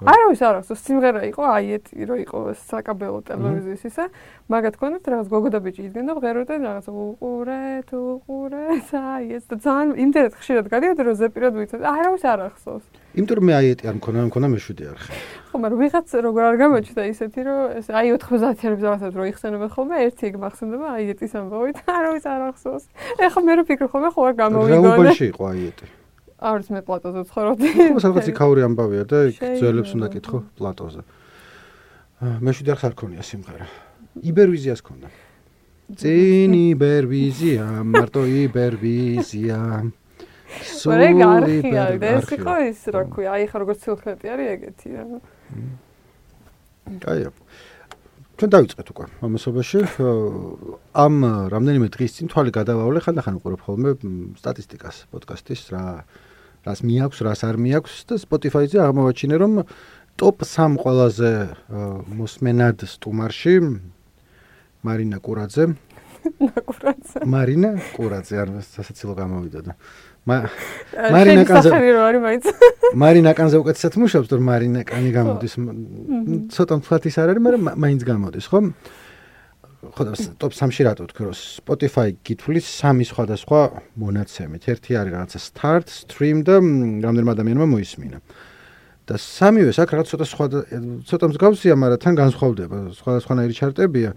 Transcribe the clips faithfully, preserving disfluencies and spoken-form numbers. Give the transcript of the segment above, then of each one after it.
არავის არ აქვს, სიმღერა იყო აიეტი, რომ იყო საკაბელო ტელევიზიის ისა, მაგათ ქონდათ რაღაც გოგო და ბიჭი იდგნენ და ღეროდნენ რაღაც უყურეთ, უყურეთ, აიეტს და ძალიან იმდენად ხშირად გადიოდა, რომ ზეპირად ვიცოდი, არავის არ ახსოვს. იმიტომ რომ მე აიეტი არ მქონა, მქონა მეშვიდე არხი. ხო, მაგრამ ვიღაც როგორ არ გამოჩნდა ისეთი, რომ ეს აი ოთხმოცდაათიანების რაღაცას რო იხსენებენ ხოლმე, ერთი ეგ მახსენდება აიეტის ამბავი და არავის არ ახსოვს. ეხლა მე რო ფიქრობ ხოლმე, ხო არ გამოვიგონე. რა უბანში იყო აიეტი? არის მე პლატოზე ცხოვრობდი. ხო, სადღაც იქაური ამბავია და იქ ძველებს უნდა კითხო პლატოზე. მეშვიდე არხს არ ქონია სიმღერა. იბერვიზიას ქონდა. წინ იბერვიზია, მარტო იბერვიზია. სულ არხია, ეს იყო ის, რა ქვია, აი ხა როგორც ცილხნეტი არის ეგეთი რა. კაია. ჩვენ დავიწყეთ უკვე ამასობაში. ამ რამდენიმე დღის წინ თვალი გადავავლე, ხანდახან უყურებ ხოლმე სტატისტიკას პოდკასტის რა რას მიაქვს, რას არ მიაქვს და Spotify-ზე აღმოვაჩინე, რომ ტოპ სამი ყველაზე მოსმენად სტუმარში მარინა კურაძე. კურაძე. მარინა კურაძე, არ სასაცილო გამოვიდა და მარინა კანზე მარინა კანზე უკეთესად მუშაობს, თორემ მარინა კანი გამოდის. ცოტა მთლათის არ არის, მაგრამ მაინც გამოდის, ხო? ხო და ტოპ სამში რატო ვთქვი, რომ Spotify გითვლის სამი სხვადასხვა მონაცემით. ერთი არის რაღაცა start, stream და რამდენმა ადამიანმა მოისმინა. და სამივეს აქ რაღაც ცოტა სხვა ცოტა მსგავსია, მაგრამ თან განსხვავდება, სხვადასხვანაირი ჩარტებია.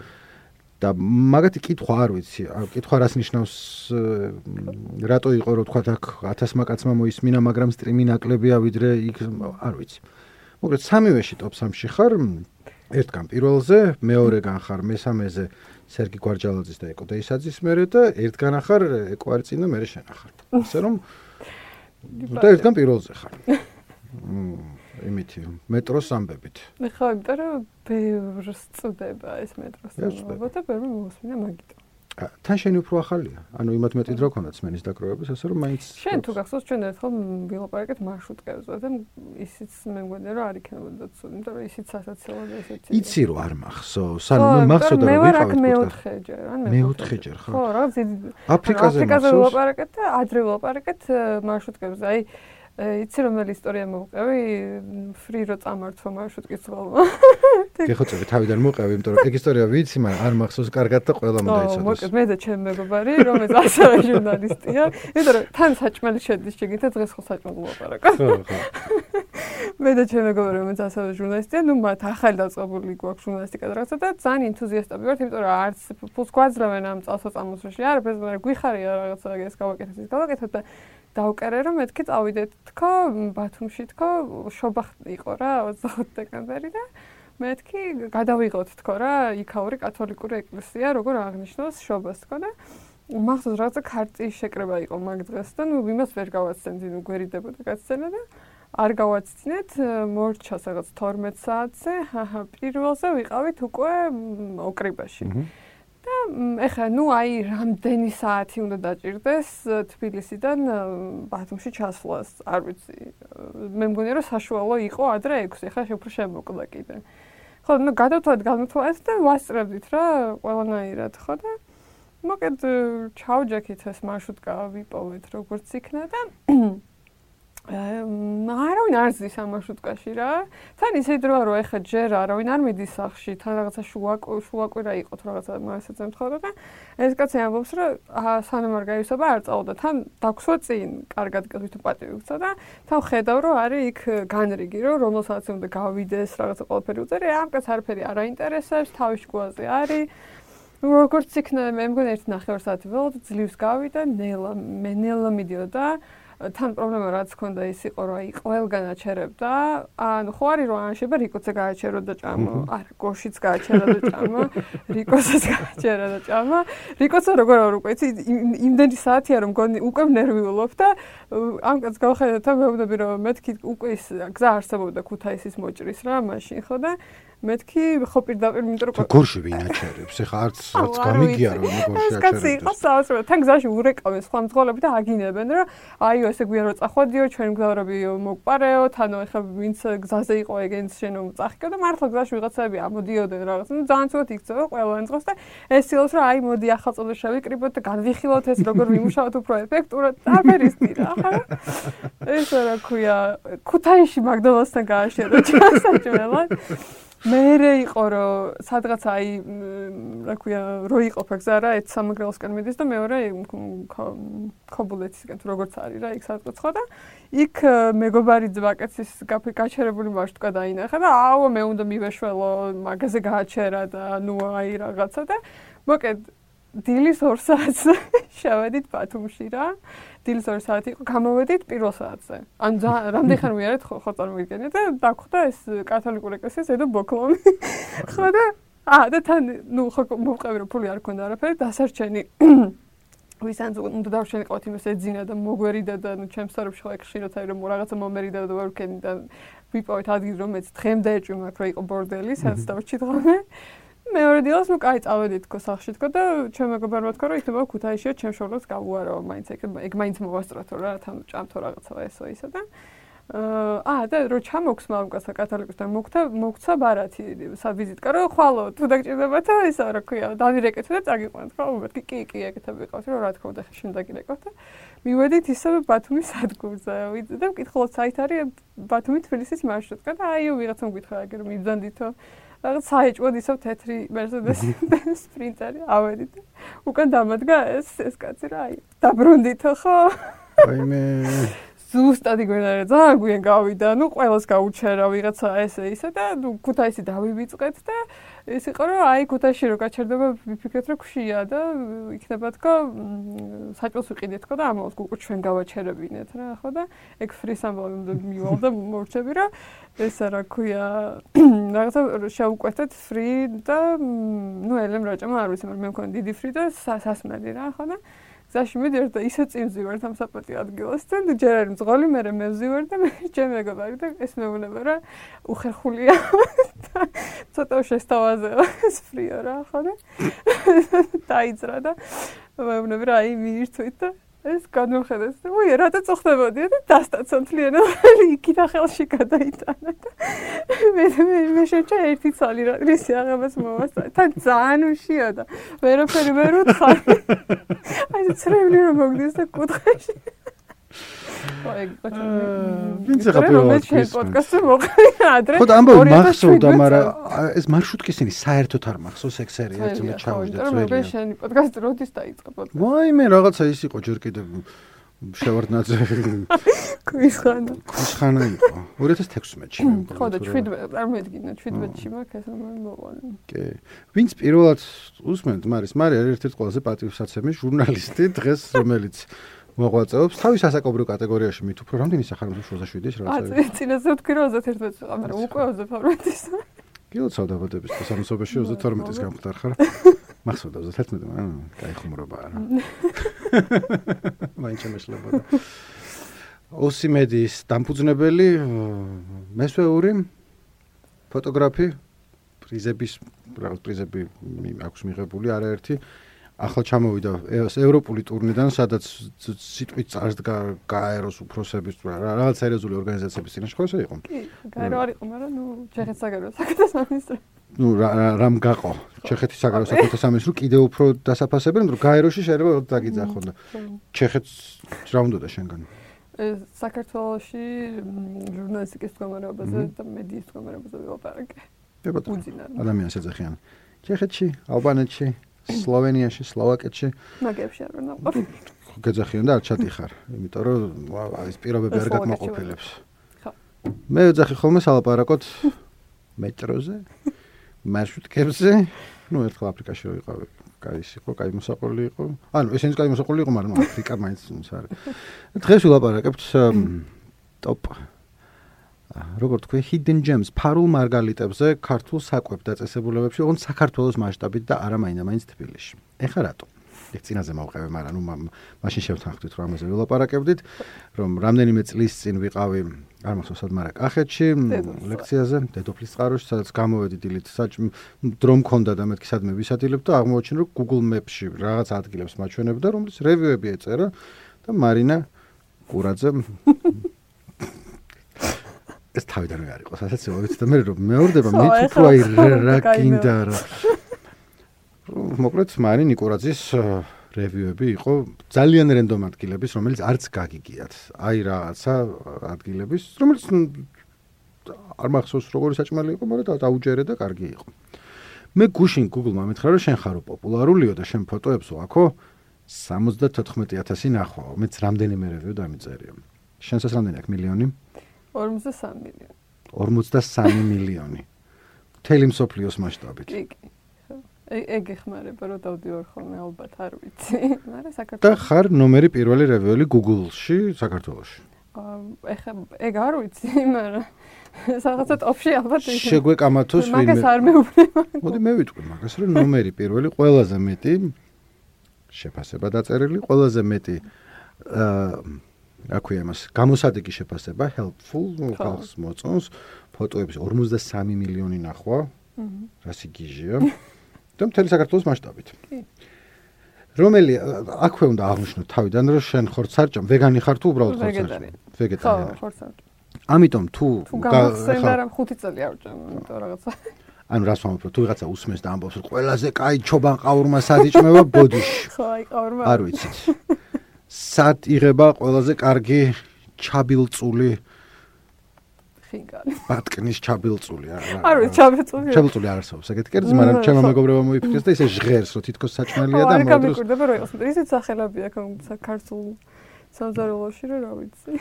და მაგათი კითხვა არ ვიცი, კითხვა რას ნიშნავს, რატო იყო რომ თქვა აქ ათასმა კაცმა მოისმინა, მაგრამ სტრიმი ნაკლებია ვიდრე იქ არ ვიცი. მოკლედ სამივეში ტოპ სამში ხარ, ერთგან პირველზე, მეორეგან ხარ მესამეზე სერგი გვარჯალაძის და ეკო დეისაძის მერე და ერთგან ახარ ეკო არწინ და მერე შენ ახარ. ასე რომ და ერთგან პირველზე ხარ. იმითი მეტროს ამბებით. ხო, იმიტომ რომ ბევრს წდება ეს მეტროს ამბობა და ბევრი მოსმინა მაგით. თან შენი უფრო ახალია. ანუ იმათ მეტი დრო ქონდა სმენის დაკროების, ასე რომ მაინც შენ თუ გახსოვს ჩვენ ერთხელ ვილაპარაკეთ მარშრუტკებზე და ისიც მე მგონია რომ არ იქნებოდა ცუდი, იმიტომ რომ ისიც სასაცილოა ესეთი. იცი რომ არ მახსოვს. ანუ მე მახსოვდა რომ ვიყავით მეოთხეჯერ, ან მე მეოთხეჯერ ხო. ხო, რაღაც აფრიკაზე აფრიკაზე ვილაპარაკეთ და ადრე ვილაპარაკეთ მარშრუტკებზე. აი იცი რომელი ისტორია მოვყევი, ფრირო წამართვა მარშრუტკის ველმა. გეხოცები თავიდან მოვყევი, იმიტომ რომ ეგ ისტორია ვიცი, მაგრამ არ მახსოვს კარგად და ყველა მომდაიცოდეს. მოკლედ მე და ჩემი მეგობარი, რომელიც ასევე ჟურნალისტია, იმიტომ რომ თან საჭმელი შედის შეგინდა დღეს ხო საჭმელი ვილაპარაკო. ხო, ხო. მე და ჩემი მეგობარი, რომელიც ასევე ჟურნალისტია, ნუ მათ ახალი დაწყებული გვაქვს ჟურნალისტიკა და რაღაცა და ძალიან ენთუზიასტები ვართ, იმიტომ რომ არც ფულს გვაძლევენ ამ წელსაწამოსში, არაფერს, მაგრამ გვიხარია რაღაცა ეს გავაკეთეთ, ის გავაკეთეთ და დავკერე რომ მეთქი წავიდეთ თქო ბათუმში თქო შობა იყო რა ოცდახუთი დეკემბერი და მეთქი გადავიღოთ თქო რა იქაური კათოლიკური ეკლესია როგორ აღნიშნავს შობას თქო და მახსოვს რაღაცა ქარტის შეკრება იყო მაგ დღეს და ნუ იმას ვერ გავაცდენდი ნუ გვერიდებოდა გაცემა და არ გავაცდინეთ მორჩას რაღაც თორმეტ საათზე ჰაჰა პირველზე ვიყავით უკვე ოკრიბაში და ეხლა ნუ აი რამდენი საათი უნდა დაჭირდეს თბილისიდან ბათუმში ჩასვლას არ ვიცი მე მგონია რომ საშუალო იყო ადრე ექვსი ეხლა უფრო შემოკლა კიდე ხო ნუ გადავთვალეთ გადავთვალეთ და ვასწრებდით რა ყველანაირად ხო და მოკეთ ჩავჯექით ეს მარშრუტკა ვიპოვეთ როგორც იქნა და არავინ არ ზის ამ მარშრუტკაში რა. თან ისე დროა რომ ეხა ჯერ არავინ არ მიდის სახში, თან რაღაცა შუაკვირა იყო თუ რაღაცა მასეც ემთხოვდა და ეს კაცი ამბობს რომ სანამ არ გაივსება არ წავდა. თან დაგვსვა წინ, კარგად გითხრით პატივი გწა და თან ხედავ რომ არის იქ განრიგი რომ რომელსაც უნდა გავიდეს რაღაცა ყველაფერი უწერი, ამ კაცს არაფერი არ აინტერესებს, თავის შუაზე არის. როგორც იქნა მე მგონი ერთი ნახევარ საათი ველოდ ძლივს გავიდა, ნელა, მე ნელა მიდიოდა თან პრობლემა რაც ქონდა ის იყო რომ აი ყველგან აჩერებდა ანუ ხო არის რომ ანშება რიკოც გააჩერო და ჭამა არა გოშიც გააჩერა და ჭამა რიკოსაც გააჩერა და ჭამა რიკოცა როგორ არ უკვე იცი იმდენი საათია რომ მგონი უკვე ნერვიულობ და ამ კაც გავხედე და მეუბნები რომ მეთქი უკვე ის გზა არსებობდა ქუთაისის მოჭრის რა მაშინ ხო და მეთქი ხო პირდაპირ იმიტომ რომ გორში ვინ აჩერებს? ეხლა არც არც გამიგია რომ გორში აჩერებს. კაცი იყო საოცრად. თან გზაში ურეკავენ სხვა მძღოლები და აგინებენ რომ აი ესე გვიან რომ წახვედიო, ჩვენ მგზავრები მოგპარეო, თანო ეხლა ვინც გზაზე იყო ეგენს შენო წახიკო და მართლა გზაში ვიღაცები ამოდიოდნენ რაღაც. ნუ ძალიან ცუდად იქცევა ყველანი წყოს და ეს ცდილობს რომ აი მოდი ახალწოდებს შევიკრიბოთ და განვიხილოთ ეს როგორ ვიმუშაოთ უფრო ეფექტურად. აფერისტი რა ხა? ეს რა ქვია, ქუთაისში მაგდონალდსთან გააშერა ჩასაჭმელად. მერე იყო რომ სადღაც აი რა ქვია რო იყოფა გზა რა ერთ სამეგრელოსკენ მიდის და მეორე ქობულეთისკენ თუ როგორც არის რა იქ სადღაც ხო და იქ მეგობარი ძვაკაცის გაჩერებული მარშრუტკა დაინახა და აუ მე უნდა მივეშველო მაგაზე გააჩერა და ნუ აი რაღაცა და მოკედ დილის ორ საათს შევედით ბათუმში რა დილის ორ საათი იყო გამოვედით პირველ საათზე ან რამდენი ხანი ვიარეთ ხო ხო წარმოგიდგენიათ და დაგვხვდა ეს კათოლიკური ეკლესიის ედო ბოკლომი ხო და აა და თან ნუ ხო მოვყევი რომ ფული არ ქონდა არაფერი დასარჩენი ვისანც უნდა დავშენიყავთ იმას ეძინა და მოგვერიდა და ნუ ჩემს სარებში ხო ხშირად აი რომ რაღაცა მომერიდა და ვერქენი და ვიპოვეთ ადგილი რომელიც დღემდე ეჭვი მაქვს რომ იყო ბორდელი სადაც დავჭი დღამე მეორე დილას ნუ კაი წავედით თქო სახლში თქო და ჩემ მეგობარმა თქვა რომ იქნება ქუთაისშია ჩემ შორლოს გავუარო მაინც ეგ ეგ მაინც მოვასწროთო რა თან ჭამთო რაღაცა ესო ისა და აა და რო ჩამოგვს მამკაცსა კათოლიკოსთან მოგთა მოგცა ბარათი სავიზიტკა რომ ხვალო თუ დაგჭირდებათ ისა რა ქვია დავირეკეთ და წაგიყვანთ ხო მეთქი კი კი ეგეთები ყავს რომ რა თქმა უნდა ხე შენ დაგირეკოთ და მივედით ისევ ბათუმის სადგურზე ვიდე და ვკითხულობ საით არის ბათუმი თბილისის მარშრუტკა და აიო ვიღაცამ გითხრა აგე რომ მიბრძანდითო რაღაც საეჭვოდ ისევ თეთრი მერსედესი სპრინტერი ავედით უკან დამადგა ეს ეს კაცი რა აი დაბრუნდითო ხო აი მე ზუსტად იგვენარა ძალიან გვიან გავიდა ნუ ყველას გაუჩერა ვიღაცა ესე ისე და ნუ ქუთაისი დავივიწყეთ და ეს იყო რომ აი ქუთაისში რო გაჩერდება ვიფიქრეთ რომ ქშია და იქნება თქო საჭმელს ვიყიდეთ თქო და ამას უკვე ჩვენ გავაჩერებინეთ რა ხო და ეგ ფრის ამბავი მივალ და მორჩები რა ეს რა ქვია რაღაცა შევუკვეთეთ ფრი და ნუ ელემ რაჭამა არ ვიცი მაგრამ მე მქონდა დიდი ფრი და სასმელი რა ხო და გზაში მიდიერ და ისე წინ ვზივარ ამ საპატიო ადგილასთან და ჯერ არის მძღოლი მე მე ვზივარ და მე ჩემ მეგობარი და ეს მეუბნება რა უხერხულია და ცოტა შესთავაზე ეს ფრიო რა ხო და დაიძრა და მეუბნება რა აი მიირთვით და ეს განვხედეს და უი რატო წუხდებოდი და დასტაცო მთლიანად იქით ხელში გადაიტანა და მე მე შეჭა ერთი ცალი რა რისი აღებას მოვასწრა თან ძალიან უშია და ვერაფერი ვერ უთხარ აი ცრემლი რომ მოგდის და კუთხეში აი ვინც ახლა პოდკასტზე მოყრი ადრე ხო და ამბავი მახსოვდა მაგრამ ეს მარშრუტკისინი საერთოდ არ მახსოვს ეგ სერია ერთმა ჩავიჯდა ძველი მე შენი პოდკასტი როდის დაიწყო პოდკასტი ვაი მე რაღაცა ის იყო ჯერ კიდე შევარდნაძე ქვიშხანა ქვიშხანა იყო ორი ათას თექვსმეტში მე ხო და შვიდმეტ წარმოედგინე შვიდმეტში მაქვს ეს რომ მოყვანე კი ვინც პირველად უსმენთ მარის მარი არის ერთ-ერთი ყველაზე პატივსაცემი ჟურნალისტი დღეს რომელიც მოღვაწეობს თავის ასაკობრივ კატეგორიაში მით უფრო რამდენი სახარებაშოზე შვიდის რაღაცა აა წინაზე ვთქვი რომ ოცდაერთმეტი მაგრამ უკვე ოცდათორმეტის კილოცავ დაბადების და სამოცობაში ოცდათორმეტის გამხდარ ხარ მახსოვდა ოცდათერთმეტი მაგრამ კაი ხუმრობა არა მაინც შემეშლებოდა ოსიმედის დამფუძნებელი მესვეური ფოტოგრაფი პრიზების რაღაც პრიზები აქვს მიღებული არაერთი ახლა ჩამოვიდა ევროპული ტურნედან, სადაც სიტყვით წარსდგა გაეროს უფროსების რაღაც სერიოზული ორგანიზაციების წინაშე ხო ესე იყო? კი, გაერო არ იყო, მაგრამ ნუ ჩეხეთის საგარეო საქმეთა სამინისტრო. ნუ რამ გაყო? ჩეხეთის საგარეო საქმეთა სამინისტრო კიდევ უფრო დასაფასებენ, რომ გაეროში შეიძლება დაგიძახონ და ჩეხეთს რა უნდა და შენგან? საქართველოში ჟურნალისტიკის მდგომარეობაზე და მედიის მდგომარეობაზე ვილაპარაკე. ადამიანს ეძახიან. ჩეხეთში, ალბანეთში სლოვენიაში, სლოვაკეთში. მაგებში არ ვინაყო. გეძახიან და არ ჩადიხარ, იმიტომ რომ ეს პირობები არ გაკმაყოფილებს. ხო. მე ვეძახი ხოლმე სალაპარაკოთ მეტროზე, მარშრუტკებზე. ნუ ერთხელ აფრიკაში ვიყავი, კაი იყო, კაი მოსაყოლი იყო. ანუ ესენიც კაი მოსაყოლი იყო, მაგრამ აფრიკა მაინც არის. დღეს ვილაპარაკებთ ტოპ როგორ თქვი hidden gems ფარულ მარგალიტებზე ქართულ საკვებ დაწესებულებებში, ოღონდ საქართველოს მასშტაბით და არა მაინდა-მაინც თბილისში. ეხლა რატო? ეგ წინაზე მოვყევე, მაგრამ ნუ მაშინ შევთანხმდით რომ ამაზე ვილაპარაკებდით, რომ რამდენიმე წლის წინ ვიყავი არ მახსოვს სად, მაგრამ კახეთში ლექციაზე, დედოფლის წყაროში, სადაც გამოვედი დილით საჭმ დრო მქონდა და მეთქი სადმე ვისადგილებ და აღმოაჩინე რომ Google Maps-ში რაღაც ადგილებს მაჩვენებდა, რომლის რევიუები ეწერა და მარინა კურაძე ეს თავიდანვე არ იყო, სასაცილო ვიცი და მე რომ მეორდება მე თუ აი რა გინდა რა. მოკლედ მარინა კურაძის რევიუები იყო ძალიან რენდომ ადგილების, რომელიც არც გაგიგიათ. აი რაღაცა ადგილების, რომელიც არ მახსოვს როგორი საჭმელი იყო, მაგრამ დაუჯერე და კარგი იყო. მე გუშინ Google-მა მითხრა რომ შენ ხარო პოპულარულიო და შენ ფოტოებს ვაქო სამოცდათოთხმეტი ათასი ნახვაო. მეც რამდენიმე რევიუ დამიწერია. შენსაც რამდენი აქვს მილიონი? ორმოცდასამი მილიონი. ორმოცდასამი მილიონი. მთელი მსოფლიოს მასშტაბით. კი, კი. ეგ ეხმარება რომ დავდივარ ხოლმე ალბათ არ ვიცი. მაგრამ საქართველოს და ხარ ნომერი პირველი რევიუელი Google-ში საქართველოში. ეხა ეგ არ ვიცი, მაგრამ რაღაცა ტოპში ალბათ ის. შეგვეკამათოს ვინმე. მაგას არ მეუბნება. მოდი მე ვიტყვი მაგას, რომ ნომერი პირველი ყველაზე მეტი შეფასება დაწერილი, ყველაზე მეტი აა აქვია მას გამოსადეგი შეფასება, helpful, ხალხს მოწონს, ფოტოების ორმოცდასამი მილიონი ნახვა. აჰა. რას იგიჟია? და მთელი საქართველოს მასშტაბით. კი. რომელი აქვე უნდა აღნიშნო თავიდან რომ შენ ხარ სარჭამ, ვეგანი ხარ თუ უბრალოდ ხარ სარჭამ? ვეგეტარიანი. ხო, ხარ სარჭამ. ამიტომ თუ გახსენდა რომ ხუთი წელი ავჭამ, იმიტომ რაღაცა. ანუ რას ვამბობ, თუ ვიღაცა უსმენს და ამბობს რომ ყველაზე კაი ჩობან ყაურმა სად იჭმება ბოდიში. ხო, აი ყაურმა. არ ვიცით. სად იღება ყველაზე კარგი ჩაბილწული ხინკალი. ბატკნის ჩაბილწული არა. არ ვიცი, ჩაბილწული. ჩაბილწული არ არსებობს ეგეთი კერძი, მაგრამ ჩემო მეგობრებმა მოიფიქრეს და ისე ჟღერს, რომ თითქოს საჭმელია და მოდროს. არ გამიკვირდება რომ იყოს, ისეთ სახელები აქვს საქართველოს სამზარეულოში რომ რა ვიცი.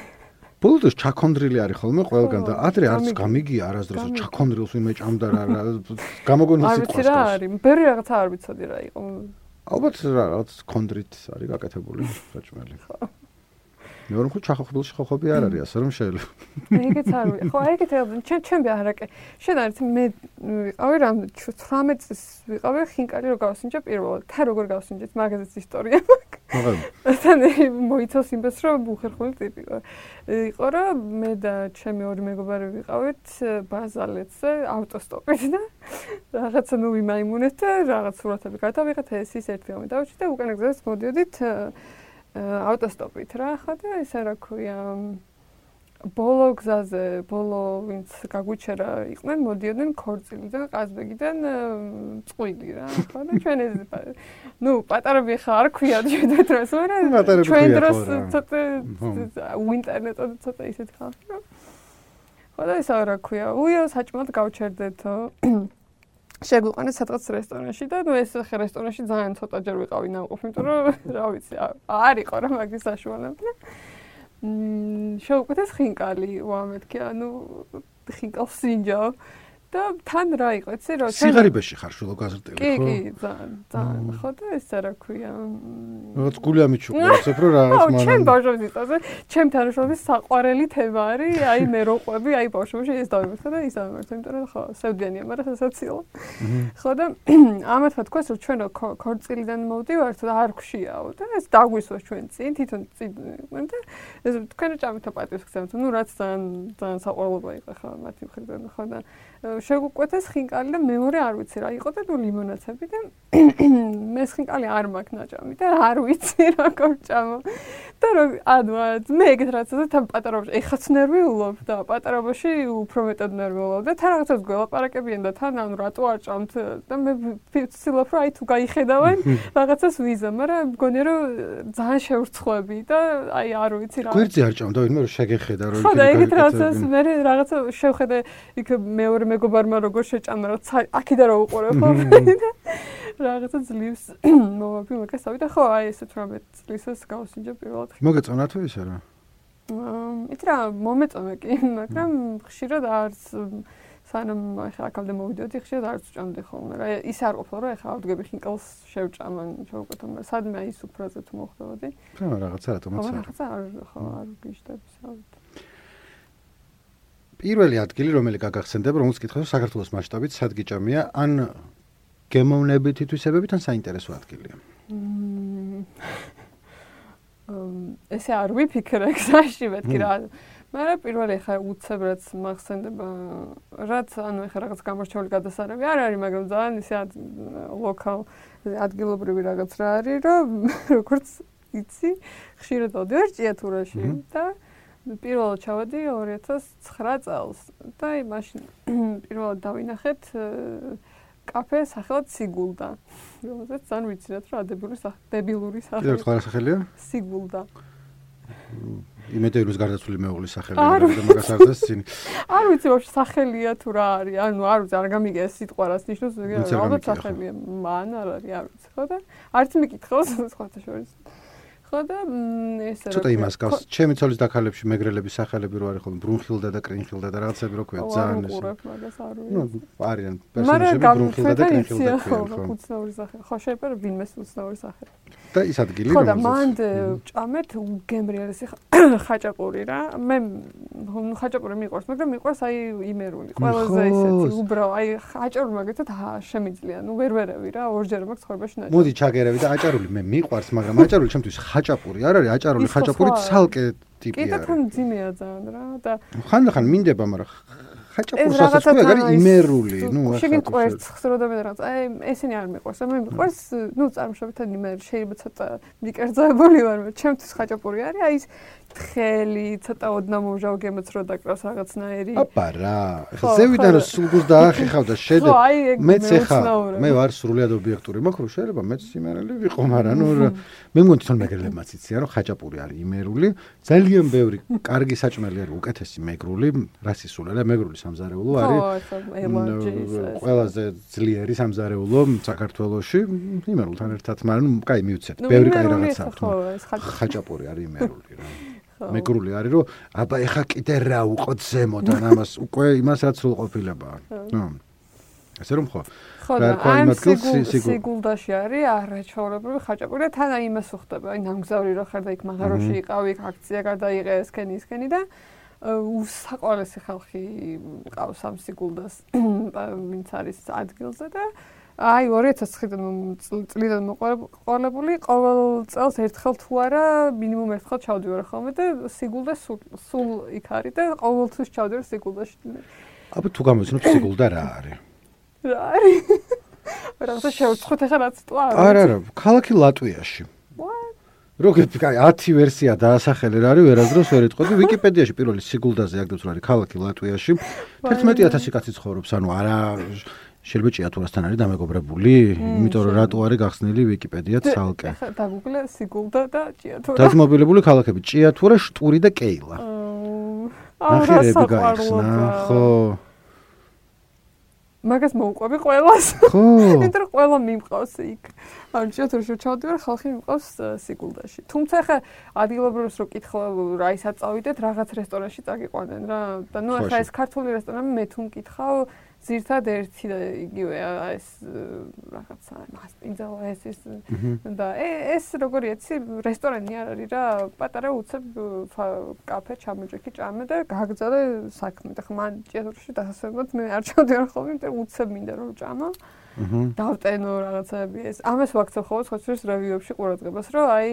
ბოლოს ჩაქონდრილი არის ხოლმე ყველგან და ადრე არც გამიგია არასდროს ჩაქონდრილს ვინმე ჭამდა რა რა გამოგონა სიტყვას. არ ვიცი რა არის, ბევრი რაღაცა არ ვიცოდი რა იყო. ალბათ რა რაღაც კონდრით არის გაკეთებული საჭმელი. ხო. მეორე ხო ჩახოხბილში ხოხობი არ არის, ასე რომ შეიძლება. ეგეც არ ვიცი. ხო, ეგეთ ჩემ ჩემი არაკე. შენ არის მე ვიყავი რამ ცხრამეტ წელს ვიყავი ხინკალი რო გავსინჯე პირველად. თა როგორ გავსინჯეთ, მაგაზეც ისტორია მაქვს. თან მოიცავს იმას რომ უხერხული ტიპი იყო. იყო რომ მე და ჩემი ორი მეგობარი ვიყავით ბაზალეთზე ავტოსტოპით და რაღაცა ნუ ვიმაიმუნეთ და რაღაც სურათები გადავიღეთ ეს ის ერთი გამი დავჭი და უკან გზას მოდიოდით ავტოსტოპით რა ხო და ისე რა ქვია ბოლო გზაზე ბოლო ვინც გაგვიჩერა იყვნენ მოდიოდნენ ქორწილიდან ყაზბეგიდან წყვილი რა ხო და ჩვენ ეს ნუ პატარები ხა არ ქვია ჩვენ დროს მაგრამ ჩვენ დროს ცოტა ინტერნეტად ცოტა ისეთ ხალხი რა ხო და ის რა ქვია უიო საჭმელად გავჩერდეთო შეგვიყვანეს სადღაც რესტორანში და ნუ ეს რესტორანში ძალიან ცოტაჯერ ვიყავი ნამყოფი იმიტომ რომ რა ვიცი არ იყო რა მაგის საშუალება მ შევკვეთეს ხინკალი ვამეთქი ანუ ხინკალს სინჯავ და თან რა იყო იცი რა სიღარიბეში ხარ შულო გაზრდილი ხო? კი კი ძალიან ძალიან ხო და ეს რა ქვია რაღაც გული ამიჩუყურებს რო რაღაც მანამ ჩემ ბავშვებს იწაზე ჩემ თანაშრომის საყვარელი თემა არის აი მე რო ყვები აი ბავშვებში ეს დავიმართე და ის დავიმართე იმიტომ რომ ხო სევდიანია მაგრამ სასაცილო ხო და ამათ თქვას რომ ჩვენ ქორწილიდან მოვდივართ და არ გშიაო და ეს დაგვისვას ჩვენ წინ თვითონ წინ და ეს თქვენ ჭამით პატივს გცემთ ნუ რაც ძალიან ძალიან საყვარლობა იყო ხო მათი მხრიდან ხო და შეგვკვეთეს ხინკალი და მეორე არ ვიცი რა იყო და ნუ ლიმონაცები და მე ხინკალი არ მაქვს ნაჭამი და არ ვიცი როგორ ჭამო და რომ ანუ მე ეგეთ რაღაცა და თან პატარობაში ეხაც ნერვიულობ და პატარობაში უფრო მეტად ნერვიულობ და თან რაღაცას გველაპარაკებიან და თან ანუ რატო არ ჭამთ და მე ვცდილობ რომ აი თუ გაიხედავენ რაღაცას ვიზა მაგრამ მგონია რომ ძალიან შევრცხვები და აი არ ვიცი რა გვერდზე არ ჭამდა ვინმე რომ შეგეხედა რომ ხო და ეგეთ რაღაცას მე რაღაცა შევხედე იქ მეორე მეგობარმა როგორ შეჭამა რა აქიდა რა უყურებ ხო რაღაცა ძლივს მოვაბი მაგასავი და ხო აი ეს თვრამეტ წლისას გავსინჯე პირველად მოგეწონა თუ ისე რა იცი რა მომეწონა კი მაგრამ ხშირად არც სანამ ახლა აქამდე მოვიდოდი ხშირად არც ვჭამდი ხოლმე რა ის არ ყოფილა რომ ახლა ავდგები ხინკალს შევჭამან შევკვეთო მაგრამ სადმე აი სუფრაზე თუ მოხდებოდი რა რაღაცა რატომაც არ რაღაცა არ ხო არ გიშდები საუბრობ პირველი ადგილი რომელი გაგახსენდება რომელს კითხავს საქართველოს მასშტაბით სად გიჭამია ან გემოვნებით თვისებებით ან საინტერესო ადგილია ესე არ ვიფიქრე გზაში მეთქი რა. მაგრამ პირველი ხა უცებ რაც მახსენდება, რაც ანუ ეხა რაღაც გამორჩეული გადასარევი არ არის, მაგრამ ძალიან ისე ლოკალ ადგილობრივი რაღაც რა არის, რომ როგორც იცი, ხშირად ავდივარ ჭიათურაში და პირველად ჩავედი ორი ათას ცხრა წელს და აი მაშინ პირველად დავინახეთ კაფე სახელად სიგულდა. რომელზეც ძალიან ვიცინათ რა დებილური სახე, დებილური სახე. კიდევ რა სახელია? სიგულდა. იმედია რომ გარდაცვლილი მეუღლის სახელია და მაგას არ დასცინი. არ ვიცი ვაფშე სახელია თუ რა არის. ანუ არ ვიცი, არ გამიგე ეს სიტყვა რას ნიშნავს, ალბათ სახელია. მან არ არის, არ ვიცი. ხო და არც მიკითხავს სხვათა შორის. ხო და ესე ცოტა იმას გავს. ჩემი ცოლის დაქალებში მეგრელების სახელები რო არის ხოლმე ბრუნხილდა და კრინხილდა და რაღაცები რო ქვია ძალიან ეს. ნუ არიან პერსონაჟები ბრუნხილდა და კრინხილდა ქვია. ხო, უცნაური სახე. ხო, შეიძლება ვინმეს უცნაური სახე. და ის ადგილი ხო და მანდ ჭამეთ უგემრიელესი ხაჭაპური რა. მე ხაჭაპური მიყვარს, მაგრამ მიყვარს აი იმერული. ყველაზე ისეთი უბრალო, აი ხაჭაპური მაგათად შემიძლია. ნუ ვერ ვერევი რა, ორჯერ მაქვს ცხოვრებაში ნაჭარი. მოდი ჩაგერევი და აჭარული მე მიყვარს, მაგრამ აჭარული ჩემთვის ხაჭაპური არ არის, აჭარული ხაჭაპური ცალკე ტიპია. კიდე თან ძიმეა ძალიან რა და ხანდახან მინდება, მაგრამ ხაჭაპურს ასაც ქვია, არის იმერული, ნუ ახლა. შეგინ ყვერც ხსროდა მე რაღაც. აი ესენი არ მიყვარს, მე მიყვარს, ნუ წარმოშობითად იმერი შეიძლება ცოტა მიკერძოებული ვარ, მაგრამ ჩემთვის ხაჭაპური არის, აი ის თხელი, ცოტა ოდნა მომჟავ გემოც რო დაკრავს რაღაცნაირი. აბა რა, ხა ზევიდან რომ სულგულს დაახეხავ და შედე. მეც ეხა მე ვარ სრულიად ობიექტური, მაგრამ შეიძლება მეც იმერელი ვიყო, მაგრამ ნუ მე მგონი თვითონ მეგრელებმაც იციან რომ ხაჭაპური არის იმერული, ძალიან ბევრი კარგი საჭმელი არის, უკეთესი მეგრული, რას ისულელა, მეგრული სამზარეულო არის. ყველაზე ძლიერი სამზარეულო საქართველოში, იმერულთან ერთად, მაგრამ ნუ კაი მივცეთ, ბევრი კაი რაღაცა აქვს. ხაჭაპური არის იმერული რა. მეგრული არის რომ აბა ეხა კიდე რა უყოთ ზემოდან ამას უკვე იმას რაც სრულყოფილებაა. ნუ ასე რომ ხო. ხო და ამ სიგულდაში არის არაჩვეულებრივი ხაჭაპური და თან აი იმას უხდება, აი ნამგზავრი რო ხარ და იქ მაღაროში იყავი, აქცია გადაიღე ესქენი ისქენი და უსაყვარლესი ხალხი ყავს ამ სიგულდას ვინც არის ადგილზე და აი ორი ათას ცხრიდან წლიდან მოყოლებული ყოველ წელს ერთხელ თუ არა მინიმუმ ერთხელ ჩავდივარ ხოლმე და სიგულდა სულ იქ არის და ყოველთვის ჩავდივარ სიგულდაში. აბა თუ გამოცნობ სიგულდა რა არის? რა არის? რაღაცა შევწყვეტ ახლა რაც თუ არა. არა არა, ქალაქი ლატვიაში. როგეთი კაი ათი ვერსია დაასახელე რა არის ვერასდროს ვერ იტყოდი ვიკიპედიაში პირველი სიგულდაზე აგდებს რა არის ქალაქი ლატვიაში თერთმეტი ათასი კაცი ცხოვრობს ანუ არა შეიძლება ჭიათურასთან არის დამეგობრებული იმიტომ რომ რატო არის გახსნილი ვიკიპედია ცალკე ხა დაგუგლე სიგულდა და ჭიათურა დაძმობილებული ქალაქები ჭიათურა შტური და კეილა ნახირები გაიხსნა ხო მაგას მოუყვები ყველას. ხო. იმიტომ რომ ყველა მიმყავს იქ. ანუ ჭიათურაში ჩავდივარ, ხალხი მიმყავს სიგულდაში. თუმცა ხა ადგილობრივს რო კითხავ, რა ისაც წავიდეთ, რაღაც რესტორანში წაგიყვანენ რა. და ნუ ხა ეს ქართული რესტორანი მე თუ მკითხავ, ზირთად ერთი და იგივე ეს რაღაცა მასპინძავა ეს ის და ეს როგორი იცი რესტორანი არ არის რა პატარა უცებ კაფე ჩამოჭიქი ჭამე და გაგზავნე საქმე და ხა მან ჭიათურაში დასასვენად მე არ ჩავდივარ ხოლმე იმიტომ უცებ მინდა რომ ჭამო დავტენო რაღაცები ეს ამას ვაქცევ ხოლმე სხვათვის რევიუებში ყურადღებას რომ აი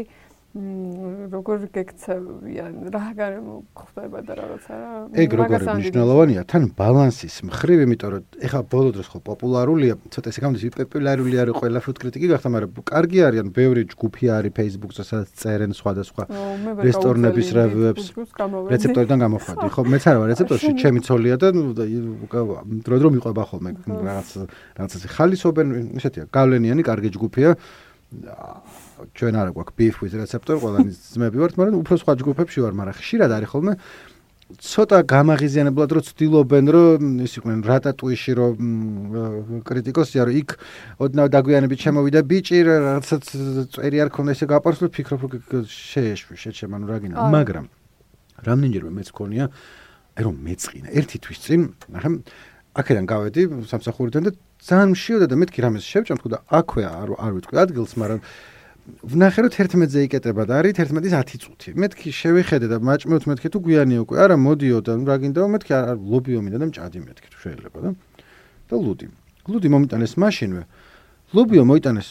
როგორ გეკცევიან რა გარემო ხდება და რაღაცა რა ეგ როგორი მნიშვნელოვანია თან ბალანსის მხრივ იმიტომ რომ ეხლა ბოლო დროს ხო პოპულარულია ცოტა ესე გამდის პოპულარული არის ყველა ფუდ კრიტიკი გახდა მაგრამ კარგი არიან ბევრი ჯგუფი არის Facebook-ზე სადაც წერენ სხვადასხვა რესტორნების რევიუებს რეცეპტორიდან გამოხვადი ხო მეც არ ვარ რეცეპტორში ჩემი ცოლია და დრო დრო მიყვება ხოლმე რაღაც რაღაცა ხალისობენ ისეთია გავლენიანი კარგი ჯგუფია ჩვენ არა გვაქვს beef with receptor ყველანი ძმები ვართ მაგრამ უფრო სხვა ჯგუფებში ვარ მაგრამ ხშირად არის ხოლმე ცოტა გამაღიზიანებლად რო ცდილობენ რომ ის იყვნენ რატატუიში რომ კრიტიკოსია რომ იქ ოდნავ დაგვიანებით შემოვიდა ბიჭი რაღაცაც წერი არ ქონდა ესე გაპარსლო ფიქრობ რომ შეეშვი შეჩემ ანუ რა გინდა მაგრამ რამდენჯერმე მეც ქონია აი რომ მეწყინა ერთი თვის წინ ნახე აქედან გავედი სამსახურიდან და ძალიან მშიოდა და მეთქი რამეს შევჭამ თქო და აქვე არ არ ვიტყვი ადგილს მაგრამ ვნახე რომ თერთმეტზე იკეტება და არის თერთმეტის ათი წუთი მეთქი შევიხედე და მაჭმევთ მეთქი თუ გვიანია უკვე არა მოდიო და რა გინდა მეთქი არ ლობიო მინდა და მჭადი მეთქი თუ შეიძლება და და ლუდი ლუდი მომიტანეს მაშინვე ლობიო მოიტანეს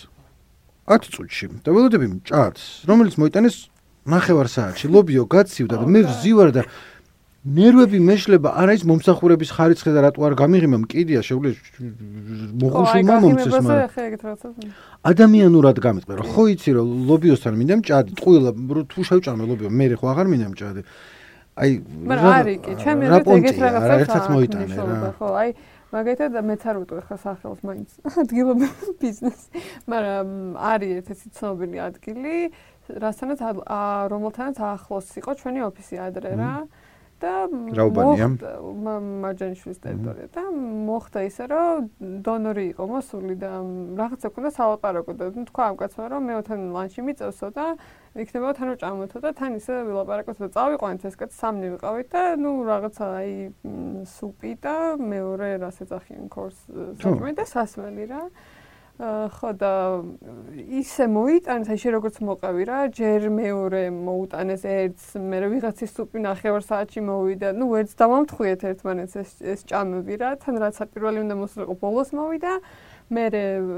ათი წუთში და ველოდები მჭადს, რომელიც მოიტანეს ნახევარ საათში, ლობიო გაცივდა და მე ვზივარ და ნერვები მეშლება, არა ის მომსახურების ხარიცხი და რატო არ გამიღიმა, მკიდია შეუძლია მოხუშულმა მომწეს, მაგრამ ადამიანურად გამიწყდა, რომ ხო იცი რომ ლობიოსთან მინდა მჭადი, ტყუილა თუ შევჭამე ლობიო, მე ხო აღარ მინდა მჭადი. აი, მაგრამ არის კი, ჩემი ეგეთ რაღაცა ერთად მოიტანე რა. ხო, აი მაგალითად მეც არ ვიტყვი ხა სახელს მაინც ადგილობრივ ბიზნესი, მაგრამ არის ერთ-ერთი ცნობილი ადგილი, რასთანაც რომელთანაც ახლოს იყო ჩვენი ოფისი ადრე რა. და მარჯანიშვილის ტერიტორია და მოხდა ისე რომ დონორი იყო მოსული და რაღაცა ქონდა სალაპარაკო და თქვა ამ კაცმა რომ მე თან ლანჩი მიწევსო და იქნება თან ვჭამოთო და თან ისე ვილაპარაკოთ და წავიყვანეთ ეს კაცი სამნი ვიყავით და ნუ რაღაცა აი სუპი და მეორე რას ეძახიან ქორს საჭმელი და სასმელი რა ხო და ისე მოიტანეს აი შე როგორც მოყავი რა ჯერ მეორე მოუტანეს ერთს მე ვიღაცის სუპი ნახევარ საათში მოვიდა ნუ ერთს დავამთხვიეთ ერთმანეთს ეს ეს ჭამები რა თან რაც პირველი უნდა მოსულიყო ბოლოს მოვიდა მე